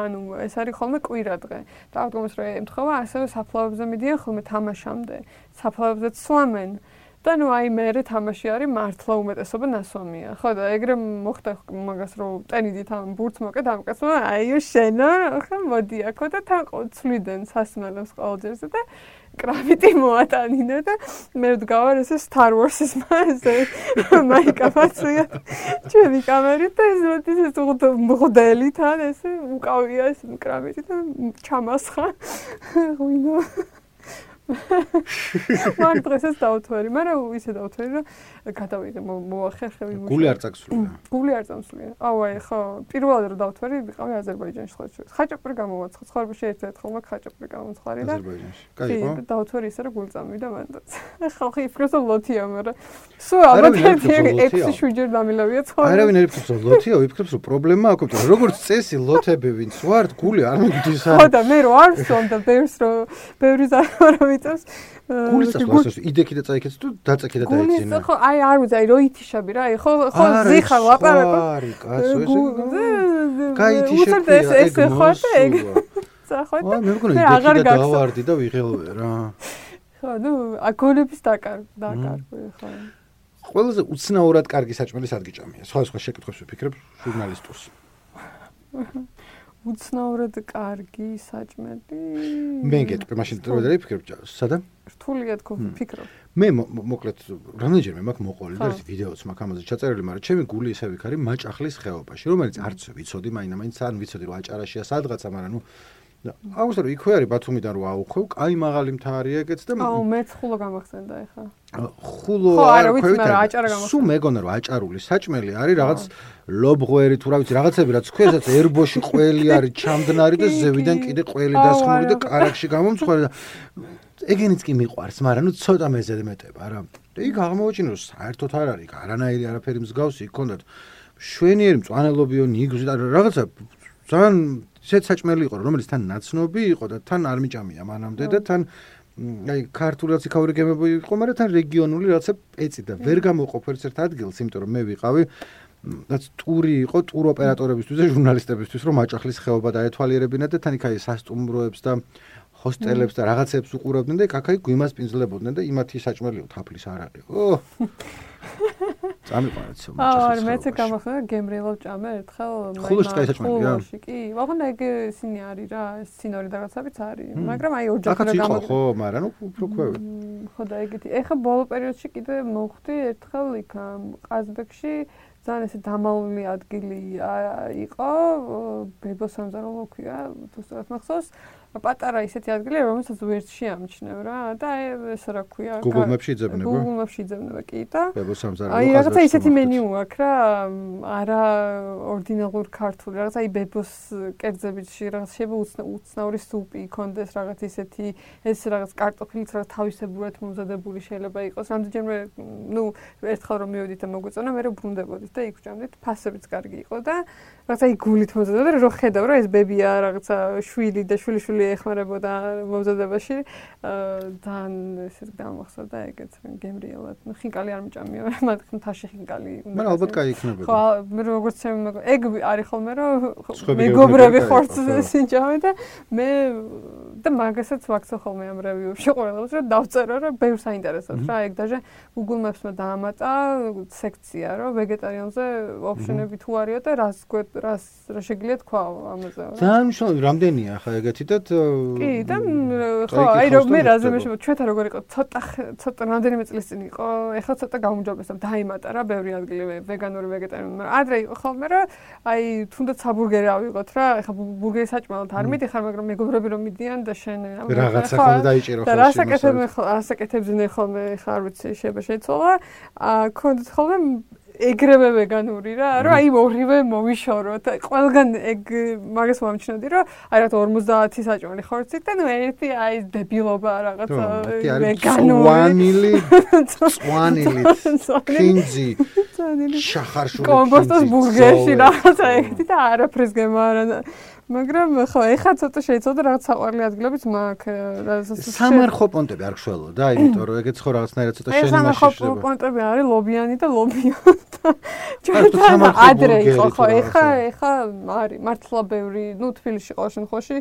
ანუ ეს არის ხოლმე კვირა დღე და აღდგომას რო ემთხოვა ასევე საფლავებზე მიდიან ხოლმე თამაშამდე საფლავებზე სვამენ და ნუ აი მე თამაში არის მართლა უმეტესობა ნასვამია. ხო და ეგრე მოხდა მაგას რომ ტენიდით ამ ბურთს მოკეთ ამ კაცმა აი შენო ხო მოდი აქ და თან წვლიდან სასმელებს ყოველჯერზე და კრამიტი მოატანინა და მე ვდგავარ ესე Star Wars-ის მასე მაიკაფაცია ჩემი კამერით და ეს ეს მღდელი თან ესე უკავია ეს კრამიტი და ჩამასხა. ღვინო მან დღესაც დავთვარი, მაგრამ ისე დავთვარი, რომ გადავიდე მოახერხები მუშაობა. გული არ წაგსულია. გული არ წამსულია. აუ აი ხო, პირველად რომ დავთვარი, ვიყავი აზერბაიჯანში სხვა შორის. ხაჭაპური გამოვაცხო, ცხოვრებაში ერთ-ერთხელ მაგ ხაჭაპური გამომცხარი და აზერბაიჯანში. კაი, ხო? დავთვარი ისე რომ გული წამივიდა მანდაც. ხალხი იფიქრებს რომ ლოთია, მაგრამ სულ ალბათ ექვსი შვიდჯერ დამილავია ცხოვრება. არავინ არ იფიქრებს რომ ლოთია, ვიფიქრებს რომ პრობლემა აქვს, რომ როგორც წესი ლოთები ვინც ვართ, გული არ მიგდის არ. ხო და მე რო არ ვსვამ და ბევრს რო ბევრი ზარმარო ვიწევს. გულის წასვლას იდექი და წაიქეც თუ დაწექი და დაეცინა. გულის ხო აი არ ვიძაი რო ითიშები რა, აი ხო ხო ზიხარ ლაპარაკო. არი კაცო ესე. კაი თიშები ეს ხო და ეგ. წახოთ. აი მე მგონი იდექი და დავარდი და ვიღელვე რა. ხო ნუ აგონების დაკარ დაკარგვე ხო. ყველაზე უცნაურად კარგი საჭმელი სადგიჭამია. სხვა სხვა შეკითხვებს ვფიქრებ ჟურნალისტურს. უცნაურად კარგი საჭმელი. მე გეტყვი, მაშინ რო დავიფიქრებ, სადა? რთულია თქო ვფიქრობ. მე მოკლედ რამდენჯერმე მაქვს მოყოლი და ეს ვიდეოც მაქვს ამაზე ჩაწერილი, მაგრამ ჩემი გული ისე ვიქარი მაჭახლის ხეობაში, რომელიც არც ვიცოდი, მაინდა-მაინც არ ვიცოდი რომ აჭარაშია სადღაცა, მაგრამ ნუ აუგუსტო რომ იქვე არის ბათუმიდან რო აუხვევ, კაი მაღალი მთა არის ეგეც და აუ მეც ხულო გამახსენდა ეხა. ხულო არ ქვევით. სულ მეგონა რომ აჭარული საჭმელი არის რაღაც ლობღვერი თუ რა ვიცი რაღაცები რაც ქვესაც ერბოში ყველი არის ჩამდნარი და ზევიდან კიდე ყველი დასხმული და კარაქში გამომცხვარი და ეგენიც კი მიყვარს, მაგრამ ნუ ცოტა მეზედმეტება რა. და იქ აღმოაჩინე რომ საერთოდ არ არის, არანაირი არაფერი მსგავსი იქ ჰქონდათ. შვენიერი მწვანელობიო ნიგზი და რაღაცა ძალიან ისეთ საჭმელი იყო, რომელიც თან ნაცნობი იყო და თან არ მიჭამია მანამდე და თან აი ქართული რაც იქაური გემები იყო, მაგრამ თან რეგიონული რაღაცა პეცი და ვერ გამოყოფ ერთ-ერთ ადგილს, იმიტომ რომ მე ვიყავი რაც ტური იყო ტურ ოპერატორებისთვის და ჟურნალისტებისთვის, რომ მაჭახლის ხეობა დაეთვალიერებინათ და თან იქ აი სასტუმროებს და ჰოსტელებს და რაღაცებს უყურებდნენ და კაკაი გვიმას პინძლებოდნენ და იმათი საჭმელიო თაფლის არ არის. ო წამიყვანეთ სულ მაჭახლის. აა მეც გამახსენდა გემრიელო ჭამე ერთხელ ხულოს კაი საჭმელია. კი, ვაღონ ეგ ისინი არის რა, სინორი რაღაცებიც არის, მაგრამ აი ოჯახი რა გამო ხო, მაგრამ ნუ უფრო ქვევი. ხო და ეგეთი. ეხა ბოლო პერიოდში კიდე მოხვდი ერთხელ იქ ყაზბეგში ძალიან ესე დამალული ადგილი იყო, ბებო სამზარეულო ქვია, თუ სწორად მახსოვს. პატარა ისეთი ადგილი, რომელსაც ვერტში ამჩნევ რა და ეს რა ქვია? Google Maps-ში იძებნება. Google Maps-ში იძებნება კი და ბებო სამზარეულო. აი რაღაცა ისეთი მენიუ აქვს რა, არა ორდინალურ ქართული, რაღაცა აი ბებოს კერძებიში რაღაც შეიძლება უცნაური სუპი იქონდეს, რაღაც ისეთი ეს რაღაც კარტოფილიც რაღაც თავისებურად მომზადებული შეიძლება იყოს. რამდენჯერმე ნუ ერთხელ რომ მივედით და მოგვეწონა, მე რო ბრუნდებოდით და იქ ვჭამდით, ფასებიც კარგი იყო და რაღაცა აი გულით მომზადდა და რო ხედავ რა ეს ბებია რაღაცა შვილი და შვილიშვილი ეხმარებოდა მომზადებაში ძალიან ესეთ გამახსოვდა ეგეც გემრიელად. ნუ ხინკალი არ მიჭამია, მაგრამ თაში ხინკალი უნდა. მაგრამ ალბათ კაი იქნებოდა. ხო, მე როგორც ეგ არის ხოლმე რომ მეგობრები ხორცს სინჭამე და მე და მაგასაც ვაქცევ ხოლმე ამ რევიუებში ყველას რომ დავწერო რომ ბევრს აინტერესებს რა, ეგ даже Google Maps-მა დაამატა სექცია რომ ვეგეტარიანზე ოფშენები თუ არისო და რას რას რა შეგიძლია თქვა ამაზე. ძალიან მნიშვნელოვანი რამდენია ხა ეგეთი და კი და ხო აი რომ მე რაზე მე ჩვენთან როგორ იყო ცოტა ცოტა რამდენიმე წლის წინ იყო ეხლა ცოტა გაუმჯობესდა დაიმატა რა ბევრი ადგილი ვეგანური ვეგეტარიული მაგრამ ადრე იყო ხოლმე რომ აი თუნდაც საბურგერი ავიღოთ რა ეხლა ბურგერი საჭმელად არ მიდიხარ მაგრამ მეგობრები რომ მიდიან და შენ რაღაცა ხოლმე დაიჭირო ხოლმე და რასაკეთებ რასაკეთებდნენ ხოლმე ეხლა არ ვიცი შეიძლება შეცვალა აა ქონდეთ ხოლმე ეგრევე ვეგანური რა, რომ აი ორივე მოვიშოროთ. ყველგან ეგ მაგას მომჩნევდი, რომ აი რა ორმოცდაათი საჭმელი ხორცით და ნუ ერთი აი დებილობა რაღაცა ვეგანური. წვანილი, კინძი, შახარშული. კომბოსტოს ბურგერში რაღაცა ეგეთი და არაფერს გემარა. მაგრამ ხო, ეხლა ცოტა შეიცვალა რაღაც საყვარელი ადგილებიც მაქვს. სამარხო პონტები არ გშველოდა, იმიტომ რომ ეგეც ხო რაღაცნაირად ცოტა შენი მაშინ შეიძლება. სამარხო პონტები არის ლობიანი და ლობიონ. ჩვენ ადრე იყო ხო, ეხლა ეხლა არის მართლა ბევრი, ნუ თბილისში ყოველ შემთხვევაში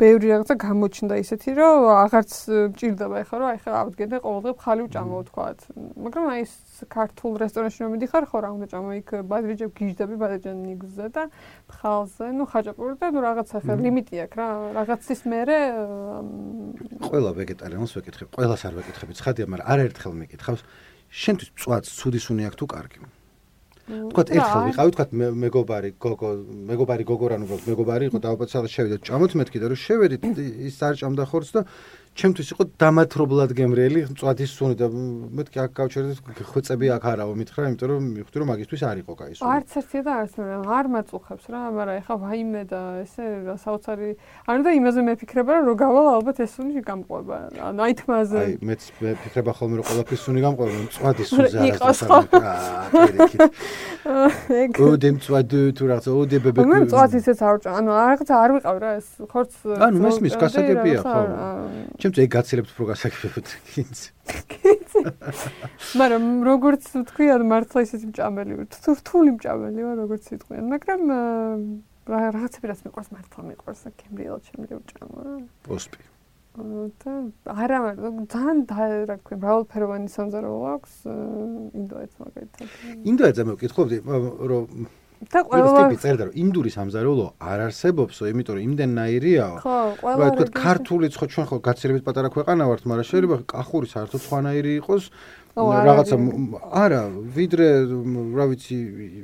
ბევრი რაღაცა გამოჩნდა ისეთი, რომ აღარც მჭირდება ეხლა რომ ეხლა ავდგენ და ყოველდღე ხალი ვჭამო თქვათ. მაგრამ აი ეს ქართულ რესტორანში რომ მიდიხარ, ხო რა უნდა ჭამო იქ ბადრიჯები გიჟდები, ბადრიჯან ნიგზზე და ფხალზე, ნუ ხაჭაპური და ნუ რაღაცა ხა ლიმიტი აქვს რა, რაღაცის მერე ყველა ვეგეტარიანს ვეკითხებ, ყველას არ ვეკითხები, ცხადია, მაგრამ არაერთხელ მეკითხავს, შენთვის მწვადს ცუდი სუნი აქვს თუ კარგი? თქვათ ერთხელ ვიყავი, თქვათ მეგობარი გოგო, მეგობარი გოგო რა ნუ მეგობარი იყო და ოპაცალად შევიდეთ, ჭამოთ მეთქი და რომ შევედით ის არ ჭამდა ხორცს და ჩემთვის იყო დამათრობლად გემრიელი მწვადის სუნი და მეთქი აქ გავჩერდით ხვეწები აქ არაო მითხრა, იმიტომ რომ მივხვდი რომ მაგისთვის არ იყო კაი სუნი. არც ერთი და არც მე არ მაწუხებს რა, მაგრამ ეხა ვაიმე და ესე საოცარი ანუ და იმაზე მეფიქრება რომ რო გავალ ალბათ ეს სუნი გამყვება. ანუ აი თმაზე. აი მეც მეფიქრება ხოლმე რომ ყველაფრის სუნი გამყვება, მწვადის სუნზე არის აა პირიქით. ოდე მწვადი თუ რაღაცა ოდე ბებე. მე მწვადისეც არ ვჭამ, ანუ რაღაცა არ ვიყავ რა ეს ხორც. ანუ მესმის გასაგებია ხო. ჩემთვის ეგ გაცილებთ უფრო გასაგებია კინც. მაგრამ როგორც თქვი, ანუ მართლა ისეთი მჭამელი ვარ. თუ რთული მჭამელი ვარ, როგორც იტყვიან, მაგრამ რაღაცები რაც მიყვარს მართლა მიყვარს, გემრიელად შემიძლია ვჭამო რა. პოსპი. და არა, ძალიან რა ქვია, მრავალფეროვანი სამზარეულო აქვს ინდოეთს მაგალითად. ინდოეთზე მე ვკითხულობდი, რომ და ყველა ტიპი წერდა რომ ინდური სამზარეულო არ არსებობსო, იმიტომ რომ იმდენნაირიაო. ხო, ყველა რა თქვა, ქართულიც ხო ჩვენ ხო გაცილებით პატარა ქვეყანა ვართ, მაგრამ შეიძლება კახური საერთოდ სხვანაირი იყოს. რაღაცა არა, ვიდრე რა ვიცი.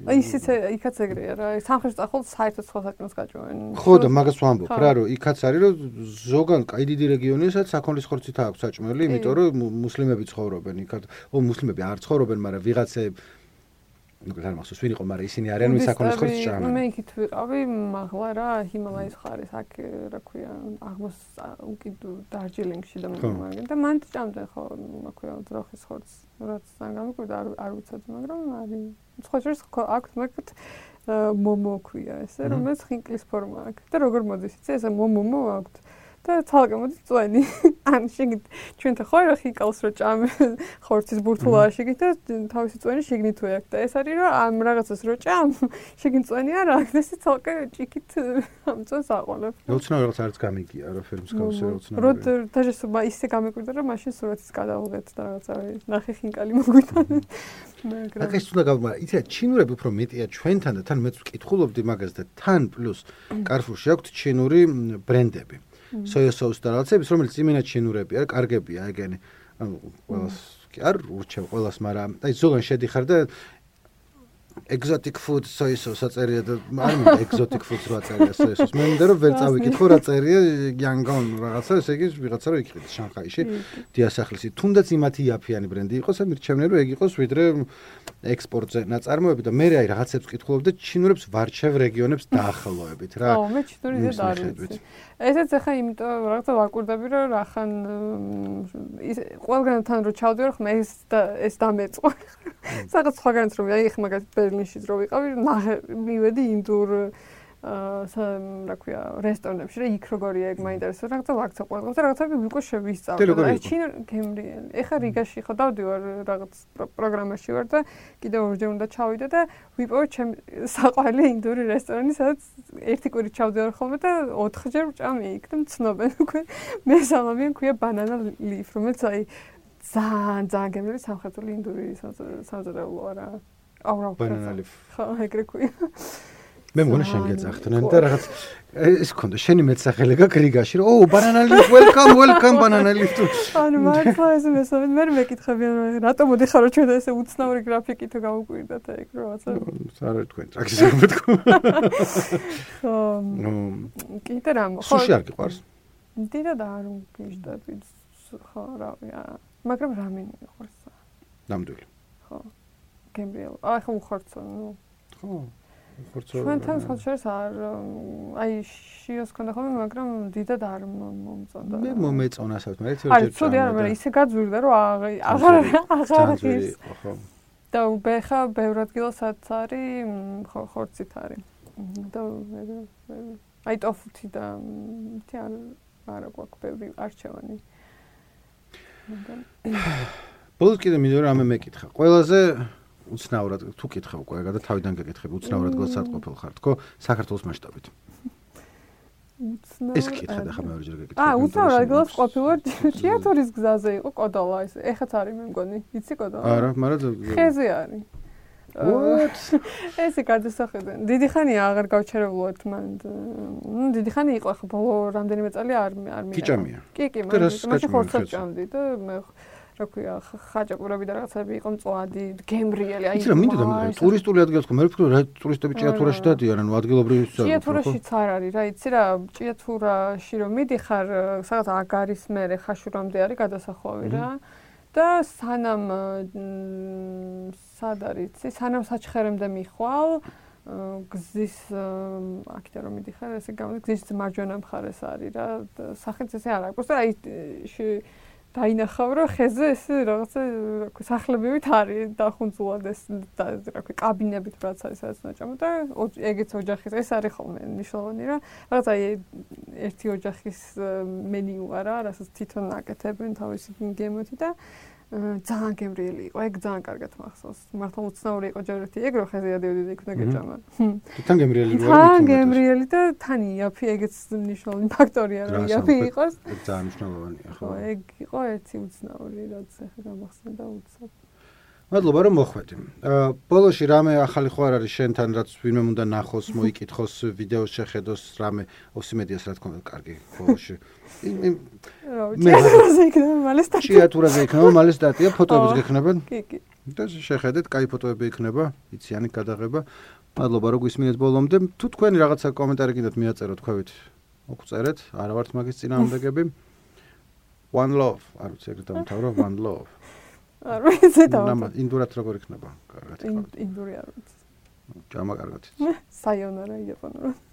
აი ისიც იქაც ეგრეა რა, სამხრეთ წახალ საერთოდ სხვა საჭმელს გაჭმევენ. ხო და მაგას ვამბობ რა, რომ იქაც არის რომ ზოგან კაი დიდი რეგიონია, სადაც საქონლის ხორცით აქვს საჭმელი, იმიტომ რომ მუსლიმები ცხოვრობენ იქაც. ო მუსლიმები არ ცხოვრობენ, მაგრამ ვიღაცები ну gar machst du swini qo mara isini aryan mit sakhonis khorts ჭამენ. მე იქით ვიყავი მაღლა რა ჰიმალაის ხარის აქ რა ქვია აღმოს უკიდ დარჯილინგში და მაგენ და მან ჭამდნენ ხო რა ქვია ძროხის ხორცს რაც თან გამიკვირდა არ არ ვიცოდი მაგრამ არის სხვა შორის აქ მაგათ მომო ქვია ესე რომელიც ხინკლის ფორმა აქვს და როგორ მოდის იცი ესე მომო აქვს და თალკე მოდის წვენი ან შეგით ჩვენთან ხო რა ხიკალს რო ჭამე ხორცის ბურთულა შეგით და თავისი წვენი შეგნით თუ აქვს და ეს არის რომ ამ რაღაცას რო ჭამ შეგინ წვენი არ აქვს ეს თალკე ჭიქით ამ წვენს აყოლებ უცნაური რაღაც არც გამიგია რა ფერმის გავსე უცნაური რო დაჟესობა ისე გამიკვირდა რომ მაშინ სურათის გადავიღეთ და რაღაცა ნახე ხინკალი მოგვიტანე მაგრამ აკ ეს უნდა გავმა იცი ჩინურები უფრო მეტია ჩვენთან და თან მეც ვკითხულობდი მაგას და თან პლუს კარფურში აქვთ ჩინური ბრენდები soya sauce და რაღაცების, რომელიც იმენად ჩინურებია, კარგებია ეგენი. ანუ ყველას კი არ ურჩევ ყველას, მაგრამ აი ზოგან შედიხარ და exotic food soya sauce აწერია და არ მინდა exotic food რა აწერია soya sauce. მე მინდა რომ ვერ წავიკითხო რა წერია Yangon რაღაცა, ესე იგი ვიღაცა რო იქნება შანხაიში, დიასახლისი. თუნდაც იმათი იაფიანი ბრენდი იყოს, მირჩევნე რომ ეგ იყოს ვიდრე ექსპორტზე ნაწარმოები და მე აი რაღაცებს ვკითხულობ და ჩინურებს ვარჩევ რეგიონებს დაახლოებით რა. ო, მე ჩინურიზე არ ვიცი. ესეც ახლა იმიტომ რაღაცა ვაკვირდები რომ რახან ყველგანთან რო ჩავდივარ ხმა ეს ეს დამეწყო. რაღაც სხვაგანაც რომ აი ხმა მაგათ ბერლინშიც რო ვიყავი, მივედი ინდურ აა რა ქვია რესტორნებში რა იქ როგორია ეგ მაინტერესებს რაღაცა ვაქცა ყველგან და რაღაცები უკვე შევისწავლე. აი ჩინურ გემრიელი. ეხა რიგაში ხო დავდივარ რაღაც პროგრამაში ვარ და კიდევ ორჯერ უნდა ჩავიდე და ვიპოვე ჩემ საყვარელი ინდური რესტორანი, სადაც ერთი კვირით ჩავდივარ ხოლმე და ოთხჯერ ვჭამე იქ და მცნობენ უკვე. მე სალამიან ქვია ბანანა ლიფ, რომელიც აი ძალიან ძალიან გემრიელი სამხრეთული ინდური სამზარეულოა რა. აუ რა ბანანა ლიფ. ხო, ეგრე ქვია. მე მგონი შენ გეძახდნენ და რაღაც ეს ქონდა შენი მეცახელე გაქვს რიგაში რომ ო banana leaf welcome welcome banana leaf თუ ანუ მართლა ეს მესამე მე მეკითხებიან რომ რატომ მოდიხარო ჩვენ და ესე უცნაური გრაფიკი თუ გავუკვირდათ ეგ რაღაცა არ არის თქვენ ტრაქის არ მეთქო ხო კიდე რამ ხო სუში არ გიყვარს დიდად არ ვგიშდები ხო რავია მაგრამ რამენი მიყვარს ნამდვილი ხო გემრიელი აი ხო უხორცო ნუ ხო ჩვენთან სხვაშორის არ აი შიოს ქონდა ხოლმე მაგრამ დიდად არ მომწონდა მე მომეწონასაც მე ერთი ორი ჯერ ცუდი არა მაგრამ ისე გაძვირდა რომ აღარ აღარ ის და უბეხა ბევრ ადგილასაც არის ხორცით არის და აი ტოფუთი და თი არ არა გვაქვს ბევრი არჩევანი ბოლოს კიდე მინდა რომ ამე მეკითხა ყველაზე უცნაურად თუ კითხე უკვე და თავიდან გეკითხები უცნაურად გასატყოფილ ხარ თქო საქართველოს მასშტაბით უცნაურად ეს კითხე და ხა მეორჯერ გეკითხე აა უცნაურად გასაყოფილვარ თეატრის გზაზე იყო კოდოლა ეს ეხაც არის მე მგონი იცი კოდოლა არა მაგრამ ხეზე არის what ესე გადასახედენ დიდი ხანია აღარ გავჩერებულად მან ნუ დიდი ხანი იყო ხო ბოლო რამდენიმე წელი არ არ მიყავ კი კი კი მაგრამ მაშინ ხორცად ჭამდი და მე რა ქვია, ხაჭაპურები და რაღაცები იყო მწვადი, გემრიელი, აი. იცი რა მინდოდა მე ტურისტული ადგილს ხო მე ვფიქრობ რა ტურისტები ჭიათურაში დადიან, ანუ ადგილობრივი სა. ჭიათურაშიც არ არის რა, იცი რა, ჭიათურაში რომ მიდიხარ, სადაც აგარის მერე ხაშურამდე არის გადასახვევი რა. და სანამ სად არის, სანამ საჩხერემდე მიხვალ, გზის აქეთ რომ მიდიხარ, ესე გამოდის გზის მარჯვენა მხარეს არის რა, სახით ესე არ აქვს. აი დაინახავ რა ხეზე ესე რაღაცა რა ქვია სახლებივით არის დახუნწულად ეს რა ქვია კაბინებით რაც არის სადაც ნაჭამო და ეგეც ოჯახის ეს არის ხოლმე ნიშნავენი რა რაღაც აი ერთი ოჯახის მენიუ არა რასაც თვითონ აკეთებენ თავისი გემოთი და ძალიან გემრიელი იყო ეგ ძალიან კარგად მახსოვს მართლა უცნაური იყო ჯერ ერთი ეგ რო ხეზე ადევდი და იქ უნდა გეჭამა თან გემრიელი იყო თან გემრიელი და თან იაფი ეგეც მნიშვნელოვანი ფაქტორია რომ იაფი იყოს ძალიან მნიშვნელოვანია ხო ეგ იყო ერთი უცნაური რაც ახლა გამახსენდა უცებ მადლობა რომ მოხვედი ბოლოში რამე ახალი ხო არ არის შენთან რაც ვინმე უნდა ნახოს მოიკითხოს ვიდეოს შეხედოს რამე ოსიმედიას რა თქმა უნდა კარგი ბოლოში ჭიათურაზე იქნება მალე სტატია ჭიათურაზე იქნება მალე სტატია ფოტოებიც გექნება კი კი და შეხედეთ კაი ფოტოები იქნება იციანი გადაღება მადლობა რომ გვისმინეთ ბოლომდე თუ თქვენი რაღაცა კომენტარი კიდევ მიაწეროთ თქვით მოგწერეთ არა ვართ მაგის წინააღმდეგები one love არ ვიცი ეგრე დამთავრო one love არ ვიცი დავთო ინდურად როგორ იქნება კარგად იქნება ინდური არ ვიცი ჭამა კარგად საიონარა იაპონურად